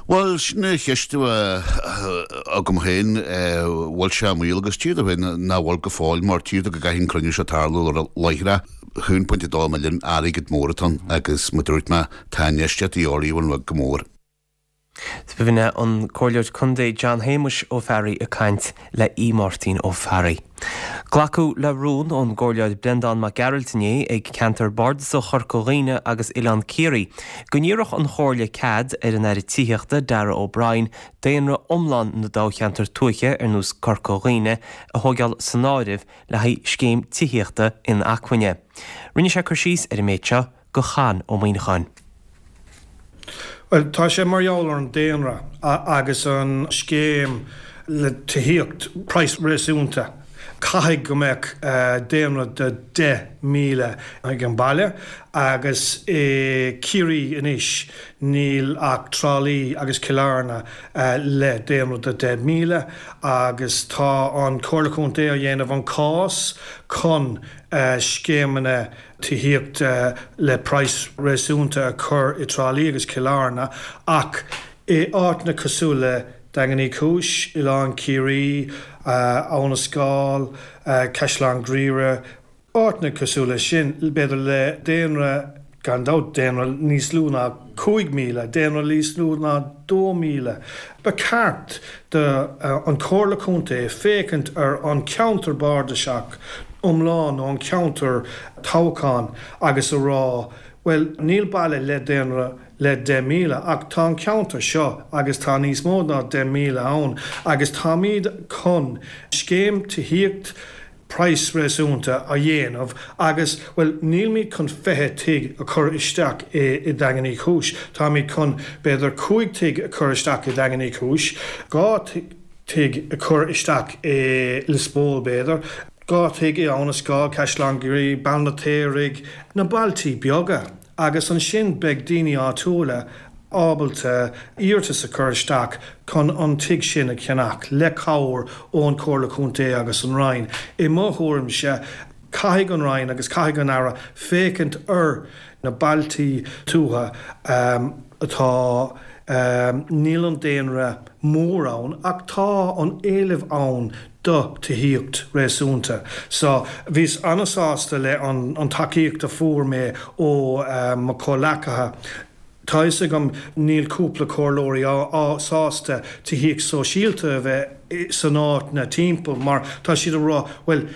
Bhuel, sin an cheist atá agam féin, bhfuil sé i mbaol agus tchífidh tú féin nach bhfuil go fóill mar tchífidh tú go gcaithfidh an cruinniú seo tarlú láithreach. 1.2 milliún airgead mór atá ann agus mar dúirt mé, tá infheistíocht de dhíobháil go mór. B'in é an Comhairleoir Contae John Shéamuis Ó Fearraigh ag caint le Aodh Máirtín Ó Fearraigh. Glacadh le rún ón gComhairleoir Breandán Mac Gearailt inné ag Ceantar Bardasach Chorca Dhuibhne agus Oileán Ciarraí go n-iarrfadh an Chomhairle cead ar an Aire Tithíochta Darragh O'Brien daonra iomlán na dtoghcheantar tuaithe ar nós Corca Dhuibhne a thóigeáil san áireamh le haghaidh scéim tithíochta inacmhainne. Rinne sé cur síos ar an méid seo go Con Ó Muíneacháin. Bhuel, tá sé mar gheall ar an daonra agus an scéim le tithíocht, praghas réasúnta. Caithfidh go mbeadh daonra de 10,000 ag an baile agus i Ciarraí anois níl ach Trá Lí agus Cill Airne le daonra de 10,000 agus tá an Comhairle Contae á dhéanamh an cás chun scéimeanna tithíocht le praghas réasúnta a chur i dTrá Lí agus Cill Airne ach i áiteanna cosúil le Daingean Uí Chúis, Oileán Ciarraí, Abha na Scáil, Caisleán Ghriaire, áiteanna cosúil leis sin, b'fhéidir le daonra, gan dabht, daonra níos lú ná 5,000, daonra níos lú ná 2,000. Ba cheart do an Chomhairle Contae féachaint ar an cheantar bardasach iomlán nó an ceantar toghcháin agus a rá, bhuel, níl baile le daonra le 10,000 ach tá an ceantar seo agus tá níos mó ná 10,000 ann agus táimid chun scéim tithíocht praghas réasúnta a dhéanamh agus, bhuel, nílimid chun 20 tigh a chur isteach i Daingean Uí Chúis, táimid chun b'fhéidir 5 tigh a chur isteach i Daingean Uí Chúis, 2 tigh a chur isteach i Lios Póil b'fhéidir, 2 tigh i Abha na Scáil, Caisleán Ghriaire, Béal an tSaoraigh, na bailtí beaga. Agus ansin beidh daoine áitiúla ábalta iarratas a chur isteach chun an tigh sin a cheannach, le cabhair ón Chomhairle Contae agus an Roinn. I mo thuairimse, caithfidh an Roinn agus caithfidh an Aire féachaint ar na bailtí tuaithe atá, níl an daonra mór ann ach tá an éileamh ann do tithíocht réasúnta. So, bhíos an-sásta le an tacaíocht a fuair mé ó mo chomhleacaithe. Tá fhios agam níl cúpla comhairleoirí sásta tithíocht sóisialta a bheith san áiteanna timpeall mar tá siad ag rá bhuel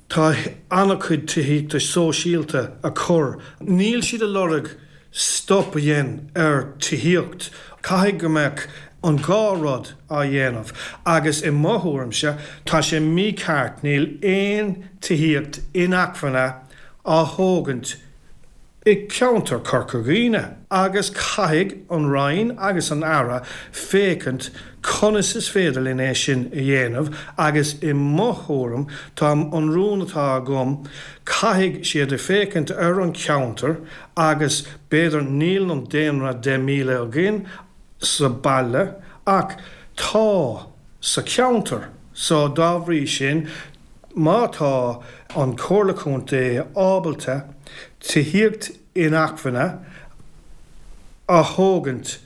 tá an-chuid tithíochta sóisialta a chur. Níl siad ag lorg stop a dhéanamh ar tithíocht. Caithfidh go mbeadh an dhá rud á dhéanamh agus i mo thuairimse tá sé mícheart níl aon tithíocht inacmhainne á thógaint i gceantar Chorca Dhuibhne agus caithfidh an Roinn agus an Aire féachaint conas is féidir linn é sin a dhéanamh agus i mo thuairim tá an rún atá agam caithfidh siad féachaint ar an cheantar agus b'fhéidir níl an daonra 10,000 againn sa baile ach tá sa cheantar so dá bhrí sin má tá an Chomhairle Contae ábalta tithíocht inacmhainne a thógaint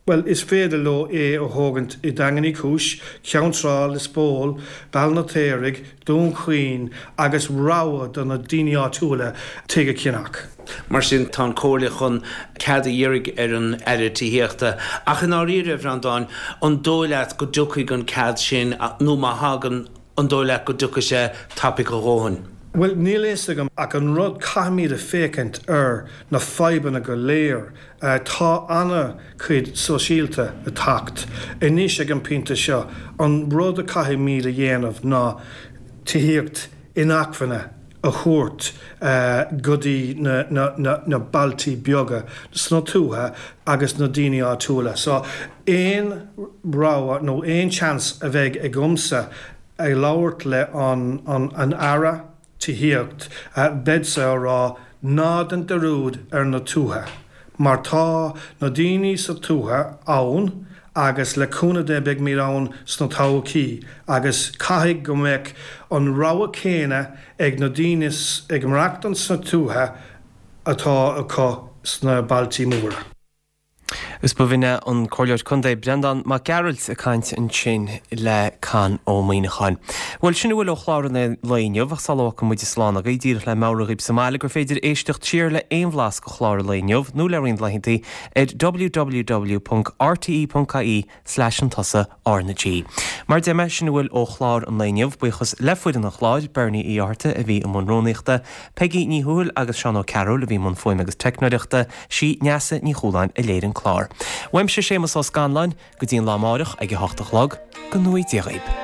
Bhuel, is féidir leo é a thógaint i Daingean Uí Chúis, Ceann Trá, Lios Póil, Béal an tSaoraigh, Dún Chaoin agus rogha do na daoine áitiúla tigh a cheannach. Mar sin, tá an Chomhairle chun cead a iarraidh ar an Aire Tithíochta. Ach i ndáiríre, a Bhreandáin, an dóigh leat go dtiocfaidh an cead sin nó má thagann, an dóigh leat go dtiocfaidh sé tapaidh a dhóthain? Bhuel, níl a fhios agam ach an rud, caithfimid a féachaint ar na fadhbanna go léir Tá ana-chuid sóisialta ag teacht anois ag an bpointe seo. An rud a caithfimid a dhéanamh ná tithíocht inacmhainne a thabhairt go dtí na bailtí beaga sna tuaithe agus na daoine áitiúla. So aon rogha nó aon chance a bheidh agamsa ag labhairt le an Aire, tithíocht, beadsa á rá ná dein dearúd ar na tuaithe, mar tá na daoine sa tuaithe ann agus le cúnamh Dé beidhmid ann sna todhchaí agus caithfidh go mbeadh an rogha céanna ag na daoine ag maireachtaint sna tuaithe atá acu sna bailtí móra. Is b'in é an Comhairleoir Contae Breandán Mac Gearailt ag caint ansin le Con Ó Muíneacháin. Bhuel, sin a bhfuil ó chlár an lae inniu, ach sula bhfágfaidh muid slán agaibh, díreach le meabhrú dhaoibh sa mbaile gur féidir éisteacht siar le aon bhlas de chlár an lae inniu nó le roinnt laethanta ar www.rte.ie slash an tusa R na G. Mar a deir mé, sin a bhfuil ó chlár an lae inniu. Buíochas le foireann an chláir, Bernie Uí Fhátharta a bhí i mbun rúnaíochta, Peigí Ní Thuathail agus Seán Ó Cearúil a bhí i mbun fuaime agus teicneoireachta, sí Neasa Ní Chualáin a léirigh an clár. Uaimse Séamus Ó Scanláin, go dtí an lá amáireach ag a hocht a chlog, go ngnóthaí Dia dhaoib.